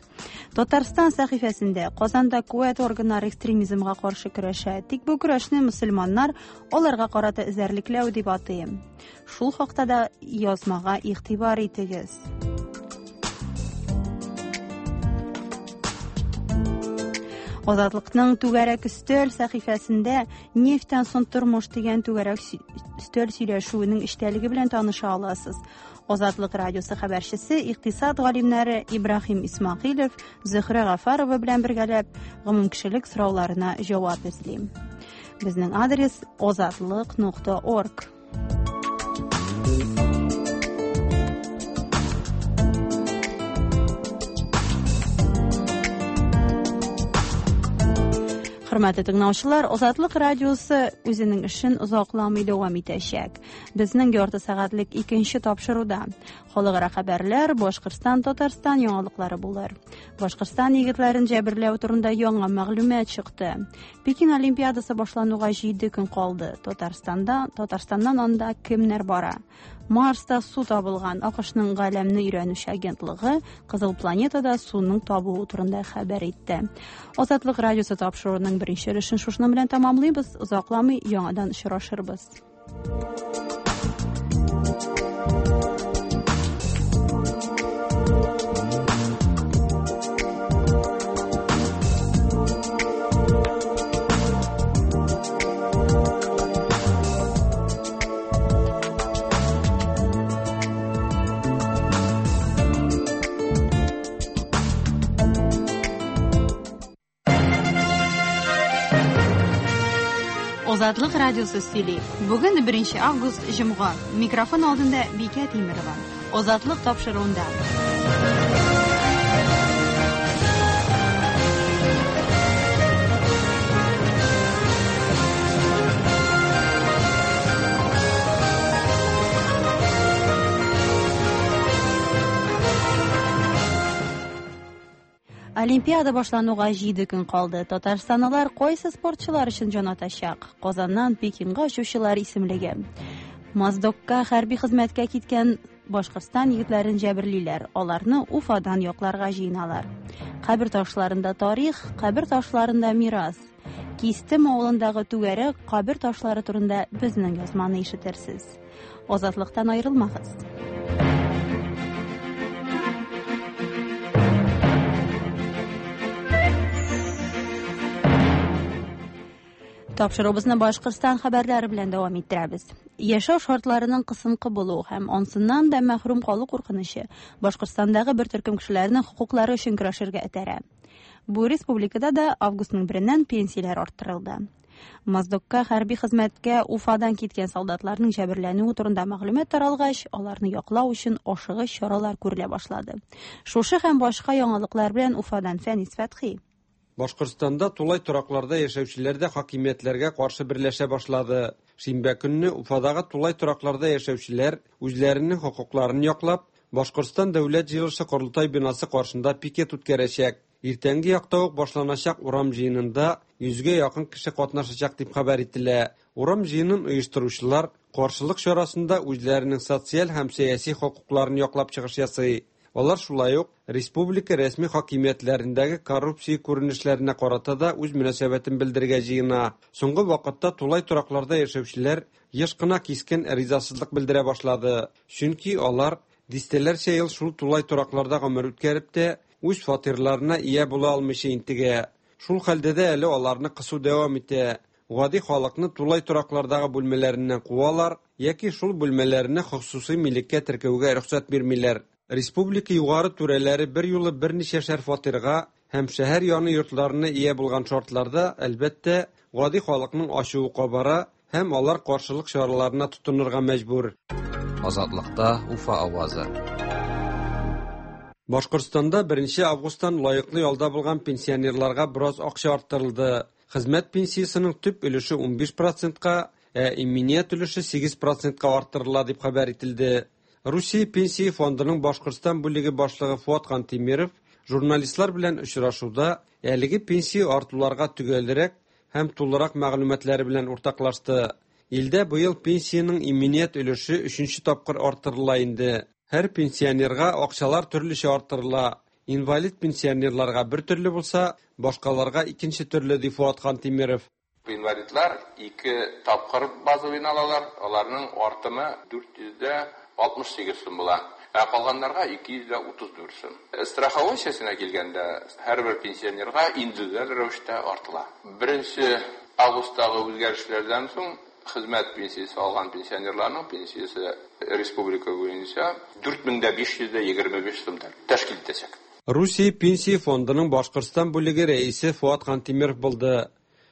Татарстан сәхифәсендә Казанда куәт органнары экстремизмга каршы көрәшә. Тик бу көрәшне мөселманнар аларга карата эзәрлекләү дип атый. Шул хакта да язмага игътибар итегез. Азатлыкның түгәрәк өстәл сәхифәсендә нефтьтән соң тормыш дигән түгәрәк өстәл сөйләшүенең эчтәлеге белән таныша аласыз. Азатлык радиосы хәбәрчесе икътисад галимнәре Ибраһим Исмәгыйлев, Зөһрә Гафарова белән бергәләп гомумкешелек сорауларына җавап эзли. Безнең адрес озатлык.орг. Хөрмәтле тыңлаучылар, Азатлык радиосы үзенең эшен озакламый дәвам итәчәк. Безнең ярты сәгатьлек икенче тапшыруда халыкара хәбәрләр, Башкортстан, Татарстан яңалыклары булыр. Башкортстан егетләрен җәберләү турында яңа мәгълүмат чыкты. Пекин Олимпиадасы башлануга 7 көн калды. Татарстанда, Татарстаннан анда кемнәр бара? Марста су табылган. АКШның галәмне өйрәнүче агентлыгы Кызыл планетада суның табылуы турында хәбәр итте. Азатлык радиосы тапшыруының беренче өлешен шушының белән тәмамлыйбыз. Озакламый яңадан очрашырбыз. Азатлык радиосы сөйли. Бүген 1 август җомга. Микрофон алдында Бикә Тимерова. Азатлык тапшыруында. Олимпиада башлануга 7 көн калды. Татарстанлылар кайсы спортчылар өчен җан атачак? Казаннан Пекинга очучылар исемлеге. Моздокка хәрби хезмәткә киткән Башкортстан егетләрен җәберлиләр. Аларны Уфадан якларга җыеналар. Кабер ташларында тарих, кабер ташларында мирас. Кистем авылындагы түгәрәк кабер ташлары турында безнең язманы ишетерсез. Азатлыктан аерылмагыз. Тапшыруыбызны Башкортстан хәбәрләре белән дәвам иттерәбез. Яшәү шартларының кысынкы булуы һәм ансыннан да мәхрүм калу куркынычы Башкортстандагы бер төркем кешеләрнең хокуклары өчен көрәшергә этәрә. Бу республикада да августның береннән пенсияләр арттырылды. Моздокка хәрби хезмәткә Уфадан киткән солдатларның җәберләнүе турында мәгълүмат таралгач, аларны яклау өчен ашыгыч чаралар күрелә башлады. Шушы һәм башка яңалыклар белән Уфадан Фәнис Фәтхи. Башкортстанда тулай торакларда яшәүчеләр дә хакимиятләргә каршы берләшә башлады. Шимбә көнне Уфадагы тулай торакларда яшәүчеләр үзләренең хокукларын яклап, Башкортстан Дәүләт җыелышы Корылтай бинасы каршында пикет үткәрәчәк. Иртәнге якта ук башланачак урам җыенында 100гә якын кеше катнашачак дип хәбәр ителә. Урам җыенын оештыручылар каршылык чарасында үзләренең социаль һәм сәяси хокукларын яклап чыгыш ясый. Алар шулай ук республика рәсми хакимиятләрендәге коррупция күренешләренә карата да үз мөнәсәбәтен белдерергә җыена. Соңгы вакытта тулай торакларда яшәүчеләр еш кына кискен ризасызлык белдерә башлады. Чөнки алар дистәләрчә ел шул тулай торакларда гомер үткәреп тә үз фатирларына ия була алмыйча интегә. Шул хәлдә дә әле аларны кысу дәвам итә. Гади халыкны тулай тораклардагы бүлмәләреннән куалар яки шул бүлмәләрне хосусый милеккә теркәүгә рөхсәт бирмиләр. Республика югары түрәләре бер юлы берничәшәр фатирга һәм шәһәр яны йортларына ия булган шартларда, әлбәттә, гади халыкның ачуы кабара һәм алар каршылык чараларына тотынырга мәҗбүр. Азатлыкта Уфа авазы. Башкортстанда 1 августтан лаеклы ялда булган пенсионерларга бераз акча арттырылды. Хезмәт пенсиясенең төп өлеше 15%-ка, ә иминият өлеше 8%-ка арттырыла дип хәбәр ителде. Русия пенсия фондының Башкортстан бүлеге башлыгы Фуат Хантимиров журналистлар белән очрашуда әлеге пенсия артуларга төгәлрәк һәм тулырак мәгълүматлары белән уртаклашты. Илдә быел пенсиянең иминият өлеше өченче тапкыр арттырыла инде. Һәр пенсионерга акчалар төрлечә арттырыла. Инвалид пенсионерларга бер төрле булса, башкаларга икенче төрле, ди Фуат Хантимиров. Инвалидлар ике тапкыр базовыйны алалар, аларның артымы 468 сум була. Ә калганнарга 234 сум. Страховой сесенә килгәндә, һәрбер пенсионерга индивидуаль рәвештә артыла. 1 августтагы үзгәрешләрдән соң хезмәт пенсиясе алган пенсионерларның пенсиясе республика буенча 4525 сум тәшкил итәчәк. Русия пенсия фондының Башкортстан бүлеге рәисе Фуат Хантимиров булды.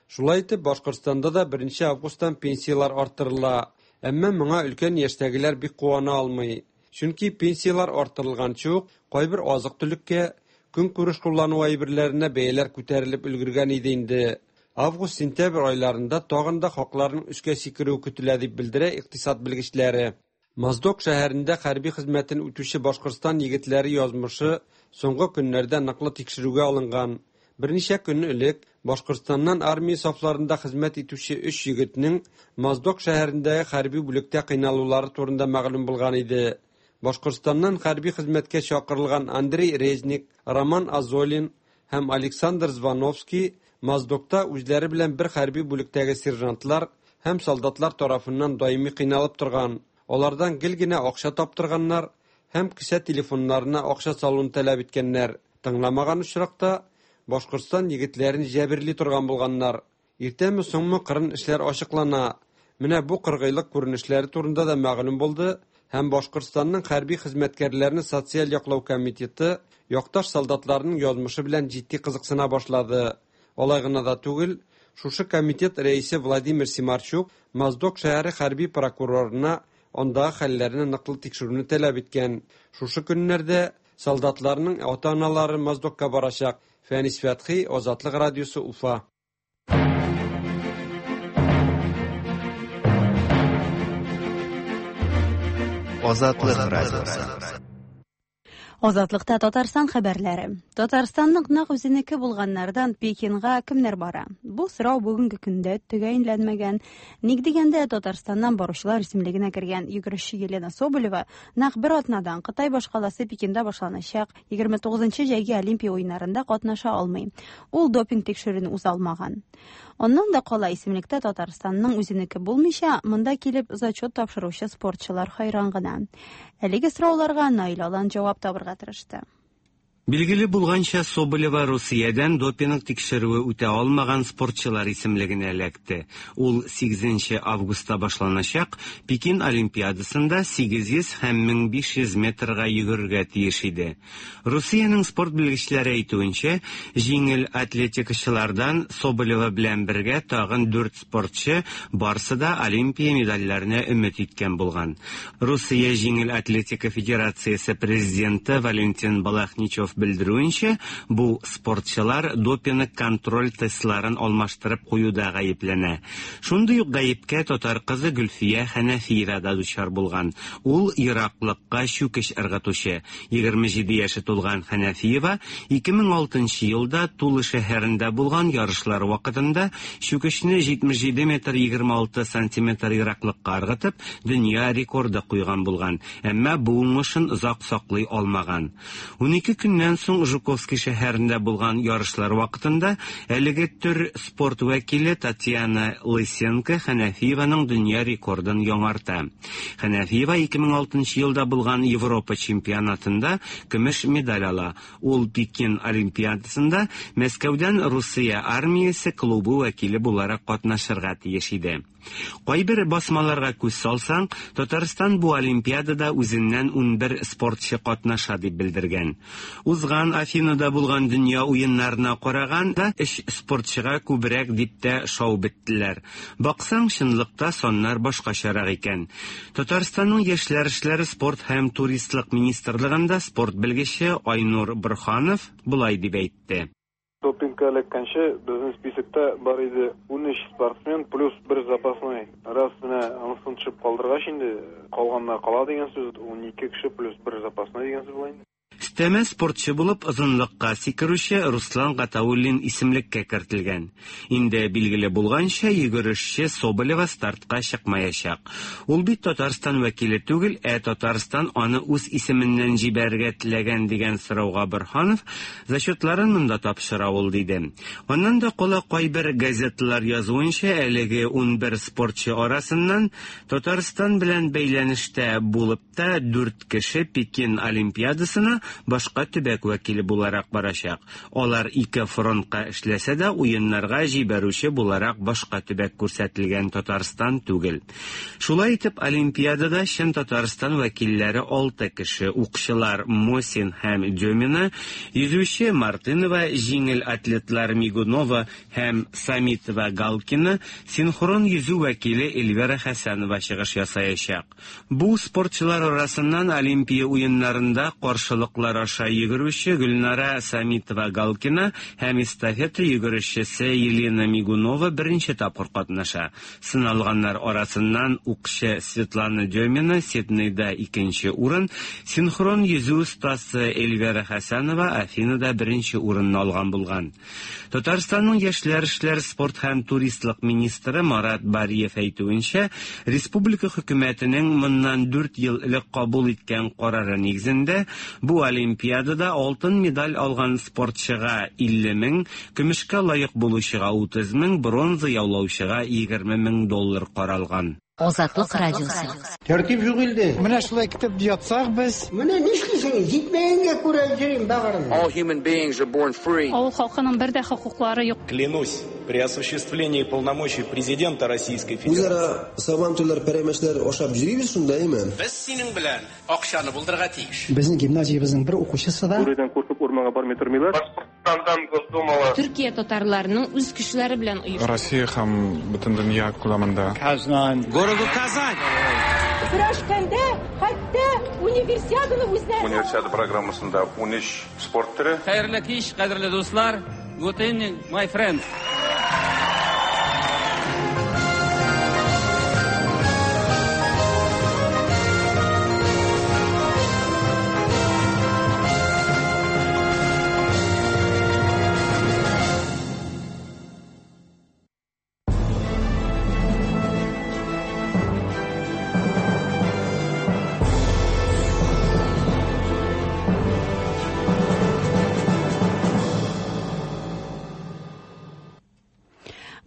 Шулай итеп, Башкортстанда да 1 августтан пенсияләр арттырыла. Әмма моңа өлкән яшьтәгеләр бик куана алмый. Чөнки пенсияләр арттырылганчы ук кайбер азык-төлеккә, көнкүреш куллану әйберләренә бәяләр күтәрелеп өлгергән иде инде. Август-сентябрь айларында тагын да хакларның өскә сикерүе көтелә дип белдерә икътисад белгечләре. Моздок шәһәрендә хәрби хезмәтен үтүче Башкортстан егетләре язмышы соңгы көннәрдә ныклы тикшерүгә алынган. Берничә көн элек Башкортстаннан армия сафларында хезмәт итүче 3 егетнең Моздок шәһәрендәге хәрби бүлектә кыйналулары турында мәгълүм булган иде. Башкортстаннан хәрби хезмәткә чакырылган Андрей Резник, Роман Азолин һәм Александр Звоновский Моздокта үзләре белән бер хәрби бүлектәге сержантлар һәм солдатлар тарафыннан даими кыйналып торган. Алардан гел генә акча таптырганнар һәм кесә телефоннарына акча салуны таләп иткәннәр. Тыңламаган очракта Башкортстан егетләрен җәберли торган булганнар. Иртәме соңмы кырын эшләр ачыклана. Менә бу кыргыйлык күренешләре турында да мәгълүм булды һәм Башкортстанның хәрби хезмәткәрләрне социаль яклау комитеты якташ солдатларның язмышы белән җитди кызыксына башлады. Алай гына да түгел, Шушы комитет рәисе Владимир Симарчук Моздок шәһәре хәрби прокурорына андагы хәлләрне ныклы тикшерүне таләп иткән. Шушы көннәрдә солдатларның ата-аналары Моздокка барачак. Фәнис Фәтхи, Азатлык радиосы, Уфа. Азатлык радиосы. Азатлыкта Татарстан хәбәрләре. Татарстанның нәкъ үзенеке булганнардан Пекинга кемнәр бара? Бу сорау бүгенге көндә төгәлләнмәгән. Ник дигәндә, Татарстаннан баручылар исемлегенә кергән йөгерешче Елена Соболева нәкъ бер атнадан Кытай башкаласы Пекинда башланачак 29 җәйге Олимпия уеннарында катнаша алмый. Ул допинг тикшерүен уза алмаган. Аннан да кала исемлектә Татарстанның үзенеке булмыйча, монда килеп зачет тапшыручы спортчылар хайран гына. Әлеге сорауларга Наил Алан җавап табырга тырышты. Билгеле булганча, Соболева Русиядән допинг тикшерүе үтә алмаган спортчылар исемлегенә эләкте. Ул 8 августта башланачак Пекин Олимпиадасында 800 һәм 1500 метрга йөгерергә тиеш иде. Русиянең спорт белгечләре әйтүенчә, җиңел атлетикачылардан Соболева белән бергә тагын 4 спортчы барсы да Олимпия медальләренә өмет иткән булган. Русия җиңел атлетика федерациясе президенты Валентин Балахничев белдерүенчә, бу спортчылар допинг контроль тестларын алмаштырып куюда гаепләнә. Шундый ук гаепкә татар кызы Гөлфия Хәнәфиева да дучар булган. Ул ераклыкка чүкеч ыргытучы. 27 яше тулган Хәнәфиева 2006 елда Тула шәһәрендә булган ярышлар вакытында чүкечне 77 метр 26 сантиметр ераклыкка ыргытып, дөнья рекорды куйган булган. Әмма бу уңышын озак саклый алмаган. 12 көннән соң Жуковский шәһәрендә булган ярышлар вакытында әлеге төр спорт вәкиле Татьяна Лысенко Хәнәфиеваның дөнья рекордын яңарта. Хәнәфиева 2006 елда булган Европа чемпионатында көмеш медаль ала. Ул Пекин Олимпиадасында Мәскәүдән Русия армиясе клубы вәкиле буларак катнашырга тиеш иде. Кайбер басмаларга күз салсаң, Татарстан бу Олимпиадада үзеннән 11 спортчы катнаша дип белдергән. Узган Афинада булган дөнья уеннарына караганда өч спортчыга күбрәк дип тә шау беттеләр. Баксаң, чынлыкта саннар башкачарак икән. Татарстанның яшьләр эшләре, спорт һәм туристлык министрлыгында спорт белгече Айнур Борханов болай дип әйтте. Допингка эләккәнче безнең списокта бар иде 13 спортсмен плюс бер запасной. Раз менә анысын төшеп калдыргач инде, калганнар кала дигән сүз, 12 кеше плюс бер запасной дигән сүз була инде. Өстәмә спортчы булып озынлыкка сикерүче Руслан Гатауллин исемлеккә кертелгән. Инде билгеле булганча, йөгерешче Соболева стартка чыкмаячак. Ул бит Татарстан вәкиле түгел, ә Татарстан аны үз исеменнән җибәрергә теләгән дигән сорауга Борһанов зачетларын монда тапшыра ул диде. Аннан да кала кайбер газеталар язуынча, әлеге 11 спортчы арасыннан Татарстан белән бәйләнештә булып та 4 кеше Пекин Олимпиадасына башка төбәк вәкиле буларак барачак. Алар ике фронтка эшләсә дә, уеннарга җибәрүче буларак башка төбәк күрсәтелгән Татарстан түгел. Шулай итеп, Олимпиадада чын Татарстан вәкилләре 6 кеше: укчылар Мосин һәм Демина, йөзүче Мартынова, җиңел атлетлар Мигунова һәм Самитова Галкина, синхрон йөзү вәкиле Эльвира Хәсәнова чыгыш ясаячак. Бу спортчылар арасыннан Олимпия уеннарында каршылыклар аша йөгерүче Гөлнара Самитова Галкина һәм эстафета йөгерешчесе Елена Мигунова беренче тапкыр катнаша. Сыналганнар арасыннан укчы Светлана Демина Сиднейда икенче урын, синхрон йөзү остасы Эльвира Хәсәнова Афинада беренче урынны алган булган. Татарстанның яшьләр эшләре, спорт һәм туристлык министры Марат Бариев әйтүенчә, республика хөкүмәтенең моннан 4 ел элек кабул иткән карары нигезендә бу Олимпиадада алтын медаль алган спортчыга 50 мең, көмешкә лаек булучыга 30 мең, бронза яулаучыга 20 мең доллар каралган. Азатлык радиосы. Тәртип юк илдә. Менә шулай көтеп ятсак без. Менә нишлисең? Җитмәгәнгә күрә йөрим бәгырем. All human beings are born free. Авыл халкының бер дә хокуклары юк. Клянусь при осуществлении полномочий президента Российской Федерации. Үзара сабантуйлар, пәрәмәчләр ашап йөрибез шунда, әйме? Без синең белән акчаны булдырырга тиеш. Безнең гимназиябезнең бер укучысы да Бүредән куркып урманга бармый тормыйлар. Башкортстандан Госдумалы. Төркия татарларының үз көчләре белән оештыру. Россия һәм бөтен дөнья күләмендә. Казан. Городу Казань. Көрәшкәндә хәтта универсиаданы үзләре. Универсиада программасында 13 спорт төре. Хәерле кич, кадерле дуслар. Good evening, my friends.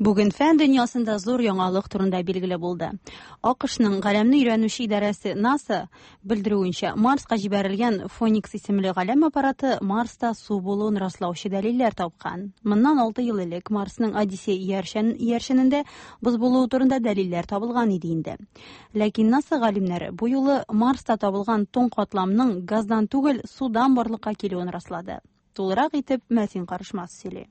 Бүген фән дөньясында зур яңалык турында билгеле булды. АКШның галәмне өйрәнүче идарәсе НАСА белдерүенчә, Марска җибәрелгән Фоникс исемле галәм аппараты Марста су булуын раслаучы дәлилләр тапкан. Моннан 6 ел элек Марсның Одиссей иярчен иярченендә боз булуы турында дәлилләр табылган иде инде. Ләкин НАСА галимнәре бу юлы Марста табылган туң катламның газдан түгел, судан барлыкка килүен раслады. Тулырак итеп Мәсин Карышмас сөйли.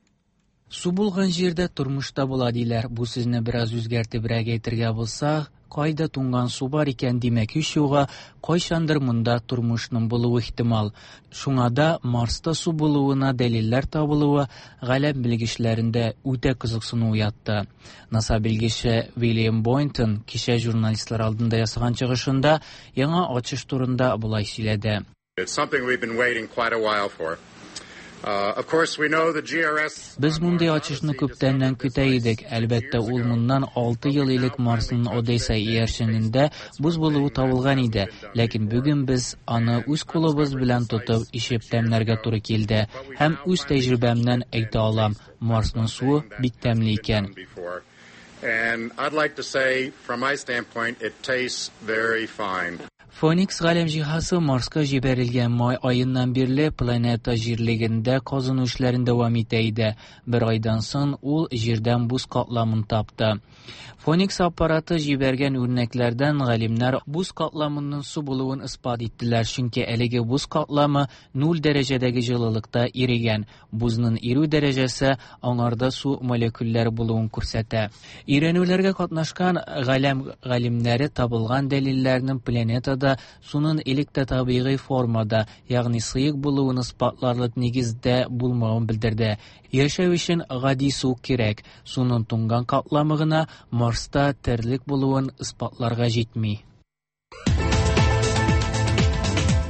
Су булган җирдә тормыш та була диләр. Бу сүзне бераз үзгәртебрәк әйтергә булса, кайда туңган су бар икән, димәк һич югы, кайчандыр монда тормышның булуы ихтимал. Шуңа да Марста су булуына дәлилләр табылуы галәм белгечләрендә үтә кызыксыну уятты. НАСА белгече Вильям Бойнтон кичә журналистлар алдында ясаган чыгышында яңа ачыш турында болай сөйләде. It's something we've been waiting quite a while for. Of course, we know the GRS. Без мондый ачышны күптәннән көтә идек. Әлбәттә, ул моннан 6 ел элек Марсның Одесса иярченендә боз булуы табылган иде. Ләкин бүген без аны үз кулыбыз белән тотып, ишеп тәмләргә туры килде. Һәм үз тәҗрибәмнән әйтә алам, Марсның суы бик тәмле икән. And I'd like to say, from my standpoint, it tastes very fine. Фоникс галәм җиһазы Марска җибәрелгән май аеннан бирле планета җирлегендә казыну эшләрен дәвам итә иде. Бер айдан соң ул җирдән боз катламын тапты. Фоникс аппараты җибәргән үрнәкләрдән галимнәр боз катламының су булуын исбат иттеләр, чөнки әлеге боз катламы 0 дәрәҗәдәге җылылыкта ирегән. Бозның ирү дәрәҗәсе аңарда су молекуллары булуын күрсәтә. Өйрәнүләргә катнашкан галәм галимнәре табылган дәлилләрнең планетада суның элек тә табигый формада, ягъни сыек булуын исбатларлык нигездә булмавын белдерде. Яшәү өчен гади су кирәк. Суның туңган катламы гына Марста терлек булуын исбатларга җитми.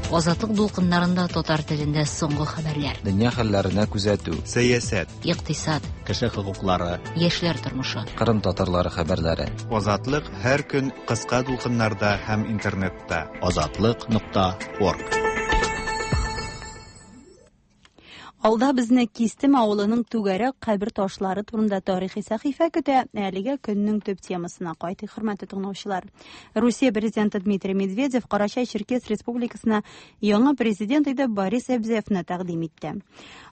Азатлык дулкыннарында татар телендә соңгы хәбәрләр. Дөнья хәлләренә күзәтү. Сәясәт. Икътисад. Кеше хокуклары. Яшьләр тормышы. Кырым татарлары хәбәрләре. Азатлык һәр көн кыска дулкыннарда һәм интернетта. Азатлык.орг. Алда безне Кистем авылының түгәрәк кабер ташлары турында тарихи сәхифә көтә. Әлегә көннең төп темасына кайтыйк, хөрмәтле тыңлаучылар. Русия президенты Дмитрий Медведев Карачай-Черкес республикасына яңа президент итеп Борис Эбзеевны тәкъдим итте.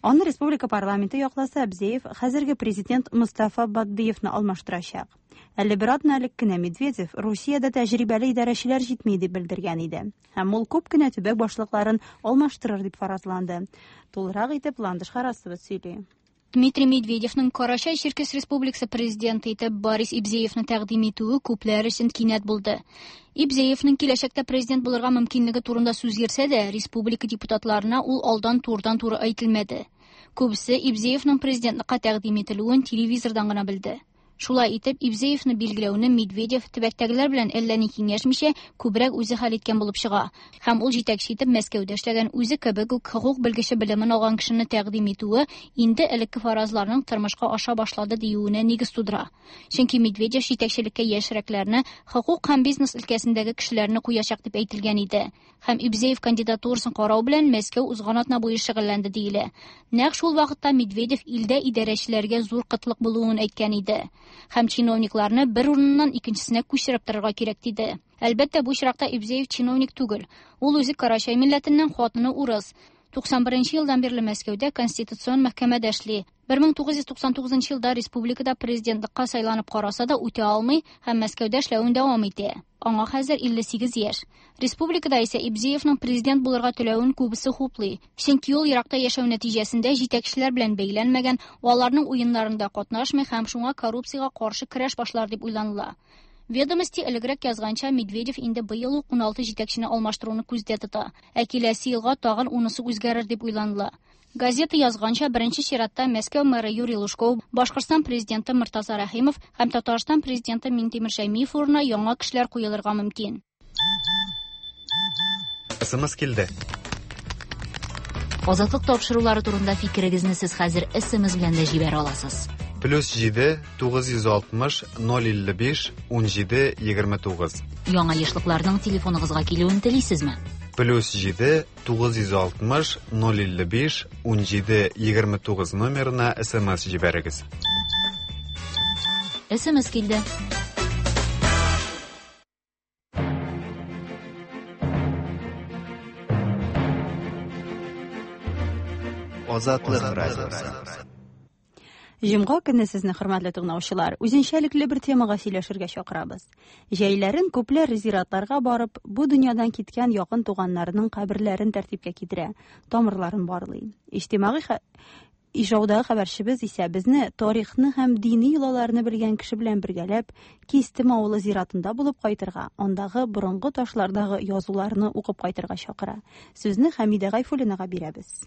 Аны республика парламенты якласа, Эбзеев хәзерге президент Мустафа Баддиевны алмаштырачак. Әле бер атна элек кенә Медведев Русиядә тәҗрибәле идарәчеләр җитми дип белдергән иде. Һәм ул күп кенә төбәк башлыкларын алмаштырыр дип фаразланды. Тулырак итеп Ландыш Харасова сөйли. Дмитрий Медведевның Карачай-Черкес республикасы президенты итеп Борис Ибзеевны тәкъдим итүе күпләр өчен кинәт булды. Ибзеевның киләчәктә президент булырга мөмкинлеге турында сүз йөрсә дә, республика депутатларына ул алдан турыдан-туры әйтелмәде. Күбесе Ибзеевның президентлыкка тәкъдим ителүен телевизордан гына белде. Шулай итеп, Ибзеевны билгеләүне Медведев төбәктәгеләр белән әллә ни киңәшмичә, күбрәк үзе хәл иткән булып чыга. Һәм ул җитәкче итеп Мәскәүдә эшләгән үзе кебек үк хокук белгече белемен алган кешене тәкъдим итүе инде элекке фаразларның тормышка аша башлады диюенә нигез тудыра. Чөнки Медведев җитәкчелеккә яшьрәкләрне, хокук һәм бизнес өлкәсендәге кешеләрне куячак дип әйтелгән иде. Һәм Ибзеев кандидатурасын карау белән Мәскәү узган атна буе шөгыльләнде диелә. Нәкъ шул вакытта Медведев илдә идарәчеләргә зур кытлык булуын әйткән иде. Һәм чиновникларны бер урыннан икенчесенә күчереп торырга кирәк диде. Әлбәттә, бу очракта Ибзеев чиновник түгел. Ул үзе Карачай милләтеннән, хатыны урыс. 91 нче елдан бирле Мәскәүдә Конституцион мәхкәмәдә эшли. 1999 елда республикада президентлыкка сайланып караса да, үтә алмый һәм Мәскәүдә эшләвен дәвам итә. Аңа хәзер 58 яшь. Республикада исә Ибзеевның президент булырга теләвен күбесе хуплый. Чөнки ул еракта яшәү нәтиҗәсендә җитәкчеләр белән бәйләнмәгән, аларның уеннарында катнашмый һәм шуңа коррупциягә каршы көрәш башлар дип уйланыла. Ведомости элегрәк язганча, Медведев инде быел ук 16 җитәкчене алмаштыруны күздә тота. Ә киләсе елга тагын унысы үзгәрер дип уйланыла. Газета язганча, беренче чиратта Мәскәү мэры Юрий Лужков, Башкортстан президенты Мортаза Рәхимов һәм Татарстан президенты Миңтимер Шәймиев урынына яңа кешеләр куелырга мөмкин. СМС килде. Азатлык тапшырулары турында фикерегезне сез хәзер СМС белән дә җибәрә аласыз. Плюс 7 960 055 17 29. Яңа ешлыкларның телефоныгызга килүен телисезме? Плюс 7 960 055 17 29 номерына СМС җибәрегез. СМС килде. Азатлык радиосы. Җомга көнне сезне, хөрмәтле тыңлаучылар, үзенчәлекле бер темага сөйләшергә чакырабыз. Җәйләрен күпләр зиратларга барып, бу дөньядан киткән якын туганнарының каберләрен тәртипкә китерә, тамырларын барлый. Иҗтимагый Ижаудагы хәбәрчебез исә безне тарихны һәм дини йолаларны белгән кеше белән бергәләп Кистем авылы зиратында булып кайтырга, андагы борынгы ташлардагы язуларны укып кайтырга чакыра. Сүзне Хәмидә Гайфуллинага бирәбез.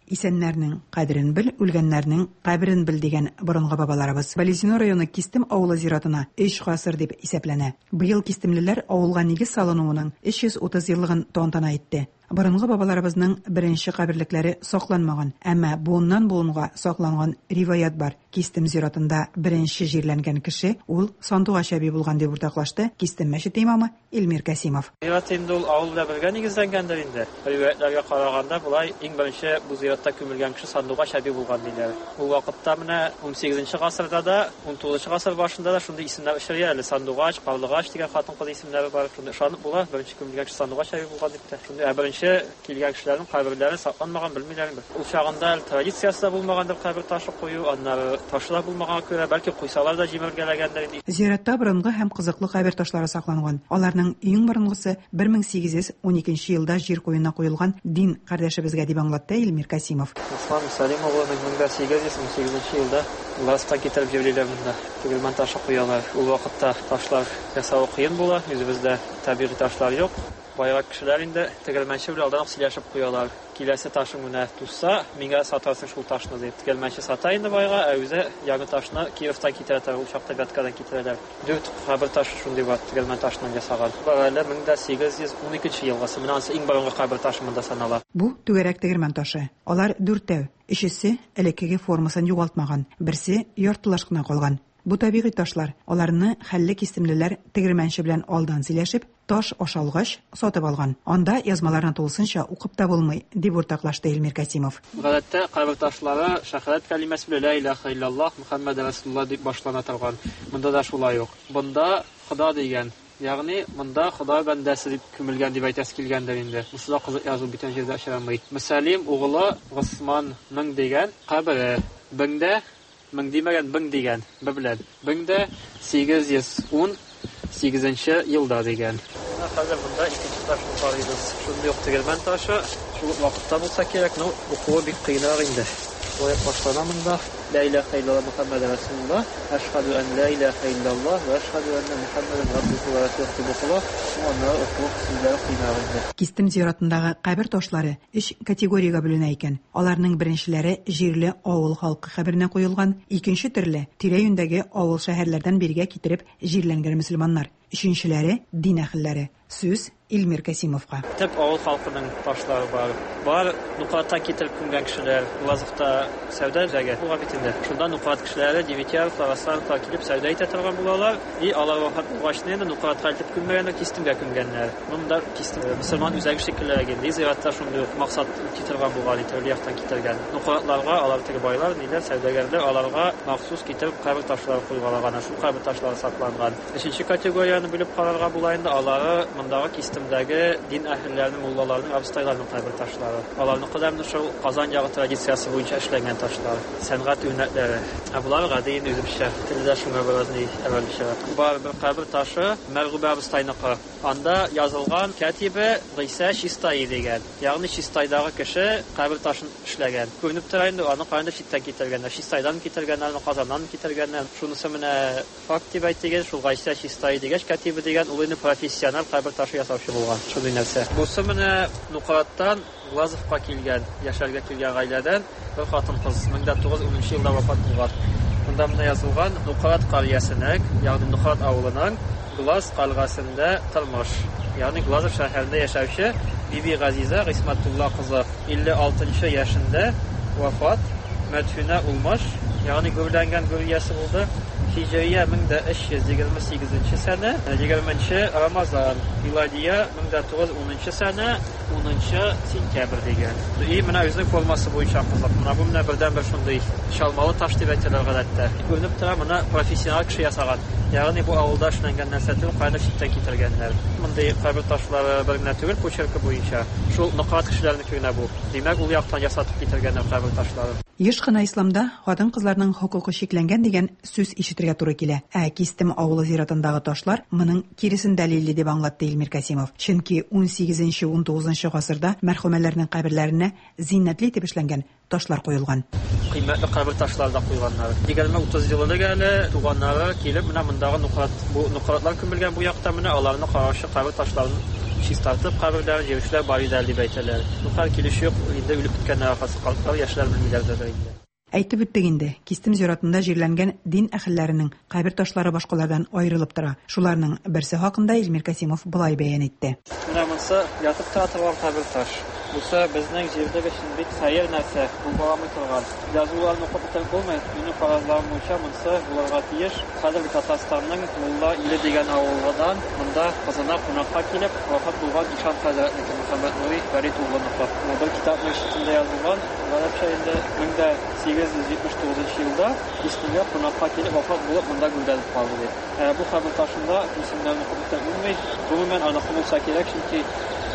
Исәннәрнең кадерен бел, үлгәннәрнең каберен бел дигән борынгы бабаларыбыз. Балезино районы Кистем авылы зиратына өч гасыр дип исәпләнә. Быел кистемлеләр авылга нигез салынуының 330 еллыгын тантана итте. Борынгы бабаларыбызның беренче каберлекләре сакланмаган, әмма буыннан-буынга сакланган риваять бар. Кистем зиратында беренче җирләнгән кеше ул Сандугач әби булган, дип уртаклашты Кистем мәчете имамы Илмир Касимов. Зират инде ул авыл белән бергә нигезләнгәндер инде. Риваятьләргә караганда, болай иң беренче бу зиратта күмелгән кеше Сандугач әби булган диләр. Ул вакытта менә унсигезенче гасырда да, унтугызынчы гасыр башында да шундый исемнәр очрый әле. Сандугач, Карлыгач дигән хатын-кыз исемнәре бар. Шундый ышанып була, беренче күмелгән кеше Сандугач әби булган дип тә. Шундый, ә беренче килгән кешеләрнең каберләре сакланмаган, белмиләр инде. Ул чагында әле традициясе дә булмагандыр кабер ташы кую, аннары ташы да булмаганга күрә, бәлки куйсалар да җимергәләгәндер инде. Зиратта борынгы һәм кызыклы кабер ташлары сакланган. Аларның иң борынгысы 1812 елда җир куенына куелган дин кардәшебезгә, дип аңлатты Илмир Касимов. Руслан Мөсәлим улы 1818 елда Властьтан китереп җирлиләр монда. Тегермән ташы куялар. Ул вакытта ташлар ясавы кыен була, үзебездә табигый ташлар юк. Байрак кешеләр инде тегермәнче белән алдан ук сөйләшеп куялар. Киләсе ташың менә тузса, миңа сатарсың шул ташны дип. Тегермәнче сата инде байга, ә үзе яңа ташны Кировтан китерә торган, ул чакта Вяткадан китерәләр. Дүрт кабер ташы шундый бар, тегермән ташыннан ясаган. Бар әле 1812 елгысы. Менә анысы иң борынгы кабер ташы монда санала. Бу түгәрәк тегермән ташы. Алар дүртәү. Өчесе элеккеге формасын югалтмаган, берсе яртылаш кына калган. Бу табигый ташлар. Аларны хәлле кистемлеләр тегермәнче белән алдан сөйләшеп, таш ашалгач, сатып алган. Анда язмаларны тулысынча укып та булмый, дип уртаклашты Илмир Касимов. Гадәттә, кабер ташлары шәһадәт кәлимәсе белән Лә илаһа илляллаһ, Мөхәммәд рәсулуллаһ дип башлана торган. Монда да шулай ук. Монда Хода дигән, ягъни монда Хода бәндәсе дип күмелгән дип әйтәсе килгәндер инде. Монысы да кызык язу бүтән җирдә очрамый. Мөсәлим угылы Госманның дигән кабере. Беңдә, мең димәгән, бең дигән, б белән. Беңдә 818 елда дигән. Менә хәзер монда икенче ташны карыйбыз. Шундый ук тегермән ташы, шул ук вакытта булса кирәк, но укуы бик кыенрак инде. Шулай ук башлана монда. Лә илаһә илляллаһ Мөхәммәд рәсулуллаһ, әшһәдү ән лә илаһә илляллаһ вә әшһәдү әннә Мөхәммәдән габдуһу вә расулуһ дип укыла. Ну, аннары уку сүзләре кыенрак инде. Кистем зиратындагы кабер ташлары өч категориягә бүленә икән. Аларның беренчеләре җирле авыл халкы каберенә куелган, икенче төрле, тирә-юньдәге авыл-шәһәрләрдән бирегә китереп җирләнгән мөселманнар, өченчеләре, дин әһелләре. Сүз Илмир Касимовка. Төп авыл халкының ташлары бар. Бар Нуклаттан китереп күмгән кешеләр. Уразовта сәүдә үзәге булган бит инде. Шунда Нуклат кешеләре, Девятьяровлар, Аслановлар килеп сәүдә итә торган булалар. И алар вафат булгач инде Нуклатка илтеп күммәгәннәр, Кистемгә күмгәннәр. Монда Кистем мөселман үзәге шикеллерәк инде. Зиратта шундый ук максат үти торган булган, төрле яктан китергән. Нуклатларга алар теге байлар, ниләр, сәүдәгәрләр, аларга махсус китереп кабер ташлары куйгалаган. Шул кабер ташлары сакланган. Өченче категорияне бүлеп карарга була инде, алары мондагы Кистем Кистемдәге дин әһелләренең, муллаларның, абыстайларның кабер ташлары. Аларныкы да менә шул Казан ягы традициясе буенча эшләнгән ташлар, сәнгать үрнәкләре. Ә болар гади инде үзебезчә. Теле дә шуңа бераз ни әвәлгечәрәк. Бар бер кабер ташы Мәргүбә абыстайныкы. Анда язылган кәтибе Гыйсә Чистаи дигән. Ягъни Чистайдагы кеше кабер ташын эшләгән. Күренеп тора инде, аны каяндыр читтән китергәннәр. Чистайдан китергәннәрме, Казаннан китергәннәр. Шунысы менә факт дип әйтик, шул Гайсә Чистаи дигәч, кәтибе дигән, ул инде профессиональ кабер ташы ясаучы булган. Шундый нәрсә. Бусы менә Нукраттан Глазовка килгән, яшәргә килгән гаиләдән бер хатын-кыз 1910 нчы елда вафат булган. Монда менә язылган, Нукрат карьясенең, ягъни Нукрат авылының Глаз кальгасендә тормыш, ягъни Глазов шәһәрендә яшәүче Биби Газизә Гыйсмәтулла кызы 56 нчы яшендә вафат, мәдфүнә улмыш, ягъни гүрләнгән гүр иясе булды. Һиҗрия 1328 нче сәнә, 20 нче Рамазан, миладия 1910 нчы сәнә, Унынчы сентябрь дигән. И менә үзенең формасы буенча кызык. Менә бу менә бердәнбер шундый чалмалы таш дип әйтәләр гадәттә. Күренеп тора, моны профессионал кеше ясаган. Ягъни бу авылда эшләнгән нәрсә түгел, каяндыр читтән китергәннәр. Мондый кабер ташлары бер генә түгел, почеркы буенча. Шул Нократ кешеләренеке генә бу. Димәк, ул яктан ясатып китергәннәр кабер ташларын. Еш кына исламда хатын-кызларның хокукы чикләнгән дигән сүз ишетергә туры килә. Ә Кистем авылы зиратындагы ташлар моның киресен дәлилли, дип аңлатты Илмир Касимов. Чөнки унсигезенче-унтугызынчы гасырда мәрхүмәләрнең каберләренә зиннәтле итеп эшләнгән ташлар куелган. Кыйммәтле кабер ташлары да куйганнар. Егерме-утыз ел элек әле туганнары килеп, менә мондагы нократ, бу нократлар күмелгән бу якта менә аларны караучы кабер ташларын чистартып, каберләрен җыючылар бар иде әле дип әйтәләр. Ну, хәзер килүче юк, инде үлеп беткәннәр ахрысы, картлар, яшьләр белмиләр дә инде. Әйтеп үттек инде, Кистем зиратында җирләнгән дин әһелләренең кабер ташлары башкалардан аерылып тора. Шуларның берсе хакында Илмир Касимов болай бәян итте. Менә монсы ятып тора торган кабер таш. Бусы безнең җирлек өчен бик сәер нәрсә, булгаламый торган. Язуларын укып бетереп булмый, минем фаразларым буенча монсы булырга тиеш. Хәзерге Татарстанның Мулла Иле дигән авылыдан монда кызына кунакка килеп, вафат булган ишан хәзрәтнеке, Мөхәммәтнури Фәрит улыныкы. Менә бер китапның читендә язылган, Гарәпчә инде 1879 нчы елда Кистемгә кунакка килеп вафат булып монда гүрләнеп калды дип. Ә бу кабер ташында исемнәрен укып бетереп булмый. Гомумән аныкы булса кирәк, чөнки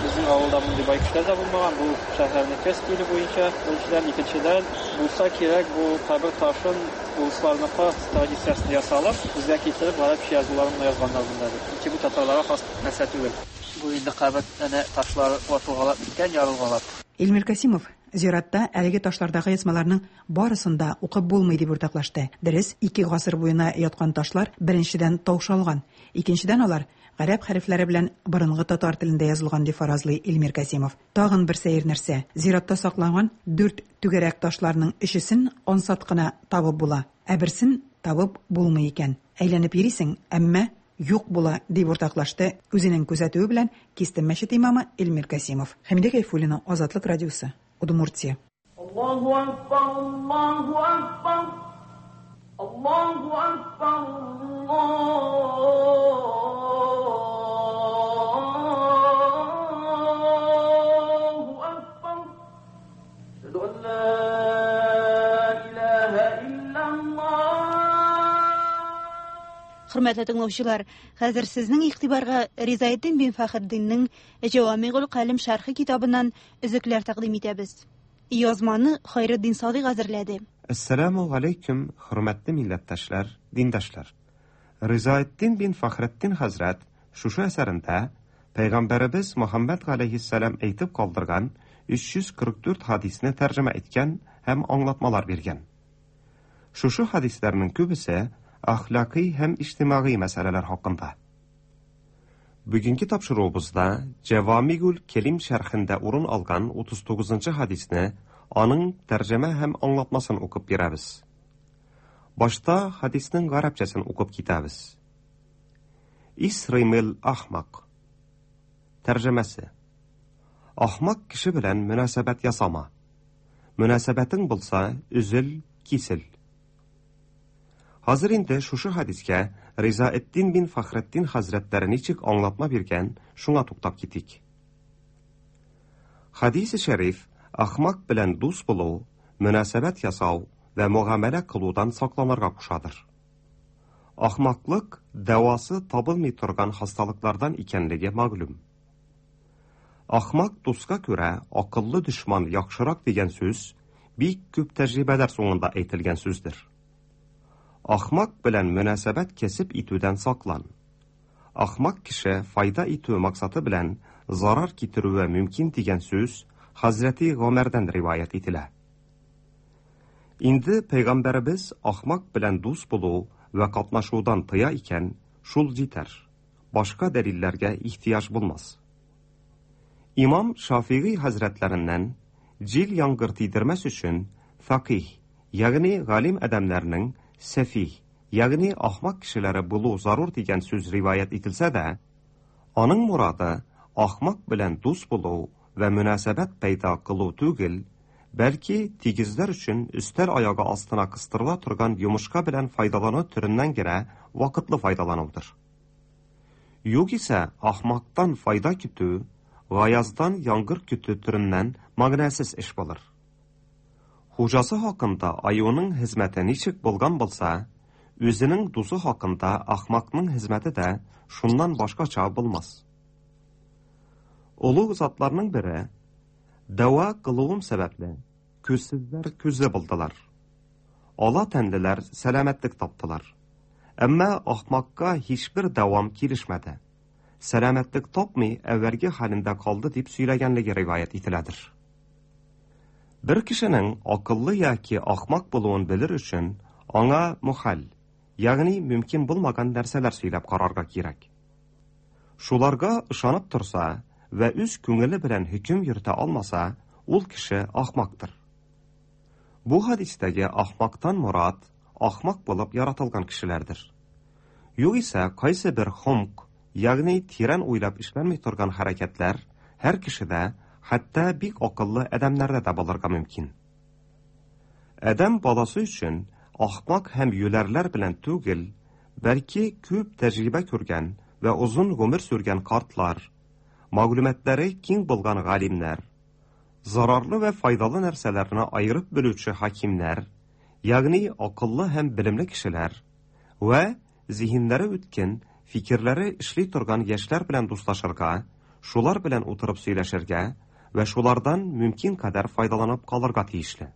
безнең авылда мондый бай кешеләр дә булмаган. Бу шәһәрнеке стиле буенча, беренчедән, икенчедән, булса кирәк бу кабер ташын урысларныкы традициясендә ясалып, безгә китереп гарәпчә язуларын гына язганнар монда дип. Чөнки бу татарларга хас нәрсә түгел. Бу инде кабер әнә ташлары ватылгалап беткән, ярылгалап. Илмир Касимов, Зиратта әлеге ташлардагы язмаларның барысын да укып булмый, дип уртаклашты. Дөрес, ике гасыр буена яткан ташлар, беренчедән, таушалган, икенчедән, алар гарәп хәрефләре белән борынгы татар телендә язылган, дип фаразлый Илмир Касимов. Тагын бер сәер нәрсә, зиратта сакланган дүрт түгәрәк ташларның өчесен ансат кына табып була, ә берсен табып булмый икән. Әйләнеп йөрисең, әмма юк була, дип уртаклашты үзенең күзәтүе белән Кистем мәчете имамы Эльмир Касимов. Хәмидә Гайфуллина, Азатлык радиосы, Удмуртия. Аллаһу акбар, Аллаһу акбар, Аллаһу акбар, Аллаһу акбар. Әшһәду ан ла илаһа иллаллаһ. Хөрмәтле тыңлаучылар, хәзер сезнең игътибарга Ризаэддин бин Фәхретдиннең Җәвамигул Калем шәрхе китабыннан өзекләр тәкъдим итәбез. Язманы Хайретдин Садыйк әзерләде. Әссәламү галәйкүм, хөрмәтле милләттәшләр, диндашлар! Ризаэддин бин Фәхретдин хәзрәт шушы әсәрендә Пәйгамбәребез Мөхәммәд галәйһиссәлам әйтеп калдырган 344 хадисне тәрҗемә иткән һәм аңлатмалар биргән. Шушы хәдисләрнең күбесе әхлакый һәм иҗтимагый мәсьәләләр хакында. Бүгенге тапшыруыбызда Җәвамигул Келим шәрхендә урын алган 39 нчы хәдисне, аның тәрҗемә һәм аңлатмасын укып бирәбез. Башта хәдиснең гарәпчәсен укып китәбез. Исримил ахмак. Тәрҗемәсе. Ахмак кеше белән мөнәсәбәт ясама. Мөнәсәбәтең булса, өзел, кисел. Хәзер инде шушы хәдискә Ризаэддин бин Фәхретдин хәзрәтләре ничек аңлатма биргән, шуңа туктап китик. Хәдисе шәриф ахмак белән дус булу, мөнәсәбәт ясау вә мөгамәлә кылудан сакланырга кушадыр. Ахмаклык дәвасы табылмый торган хасталыклардан икәнлеге мәгълүм. Ахмак дуска күрә акыллы дошман яхшырак дигән сүз бик күп тәҗрибәләр соңында әйтелгән сүздер. Ахмак белән мөнәсәбәт кәсеп итүдән саклан. Ахмак кеше файда итү максаты белән зарар китерүе мөмкин дигән сүз Хәзрәти Гомәрдән риваять ителә. Инде пәйгамбәребез ахмак белән дус булу вә катнашудан тыя икән, шул җитәр. Башка дәлилләргә ихтыяҗ булмас. Имам Шафигый хәзрәтләреннән җил яңгыр тидермәс өчен фәкыйһ, ягъни галим адәмнәрнең сәфиһ, ягъни ахмак кешеләре булу зарур дигән сүз риваять ителсә дә, аның морады ахмак белән дус булу вә мөнәсәбәт пәйда кылу түгел, бәлки тигезләр өчен өстәл аягы астына кыстырыла торган йомышка белән файдалану төреннән генә вакытлы файдаланудыр. Югыйсә, ахмактан файда көтү, гаяздан яңгыр көтү төреннән мәгънәсез эш булыр. Хуҗасы хакында аюның хезмәте ничек булган булса, үзенең дусы хакында ахмакның хезмәте дә шуннан башкача булмас. Олуг затларның бере, дәва кылуым сәбәпле, күзсезләр күзле булдылар. Ала тәнлеләр сәламәтлек таптылар. Әмма ахмакка һичбер дәвам килешмәде. Сәламәтлек тапмый, әүвәлге хәлендә калды дип сөйләгәнлеге риваять ителәдер. Бер кешенең акыллы яки ахмак булуын белер өчен аңа мөхәл, ягъни мөмкин булмаган нәрсәләр сөйләп карарга кирәк. Шуларга ышанып торса вә үз күңеле белән хөкем йөртә алмаса, ул кеше ахмактыр. Бу хәдистәге ахмактан морад ахмак булып яратылган кешеләрдер. Югыйсә, кайсы бер хомк, ягъни тирән уйлап эшләнми торган хәрәкәтләр һәр кешедә, хәтта бик акыллы адәмнәрдә дә булырга мөмкин. Адәм баласы өчен ахмак һәм юләрләр белән түгел, бәлки күп тәҗрибә күргән вә озын гомер сүргән картлар, мәгълүматлары киң булган галимнәр, зарарлы вә файдалы нәрсәләрне аерып белүче хакимнәр, ягъни акыллы һәм белемле кешеләр вә зиһеннәре үткен, фикерләре эшли торган яшьләр белән дуслашырга, шулар белән утырып сөйләшергә вә шулардан мөмкин кадәр файдаланып калырга тиешле.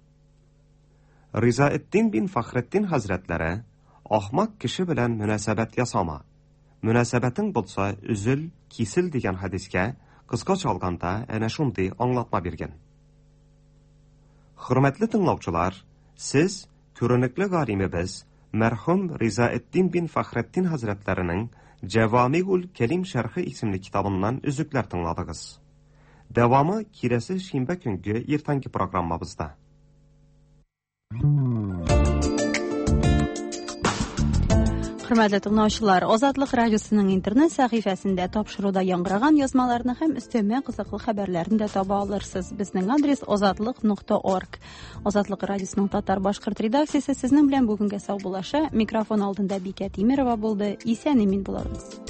Ризаэддин бин Фәхретдин хәзрәтләре ахмак кеше белән мөнәсәбәт ясама, мөнәсәбәтең булса, өзел, кисел дигән хәдискә кыскача алганда әнә шундый аңлатма биргән. Хөрмәтле тыңлаучылар, сез күренекле галимебез мәрхүм Ризаэддин бин Фәхретдин хәзрәтләренең Җәвамигул Кәлим шәрхе исемле китабыннан өзекләр тыңладыгыз. Дәвамы киләсе шимбә көнге иртәнге программабызда. Хөрмәтле тыңлаучылар, Азатлык радиосының интернет сәхифәсендә тапшыруда яңгыраган язмаларны һәм өстәмә кызыклы хәбәрләрне дә таба алырсыз. Безнең адрес azatliq.org. Азатлык радиосының татар башкорт редакциясе сезнең белән бүгенгә саубуллаша. Микрофон алдында Бикә Тимерова булды. Исән имин булыгыз.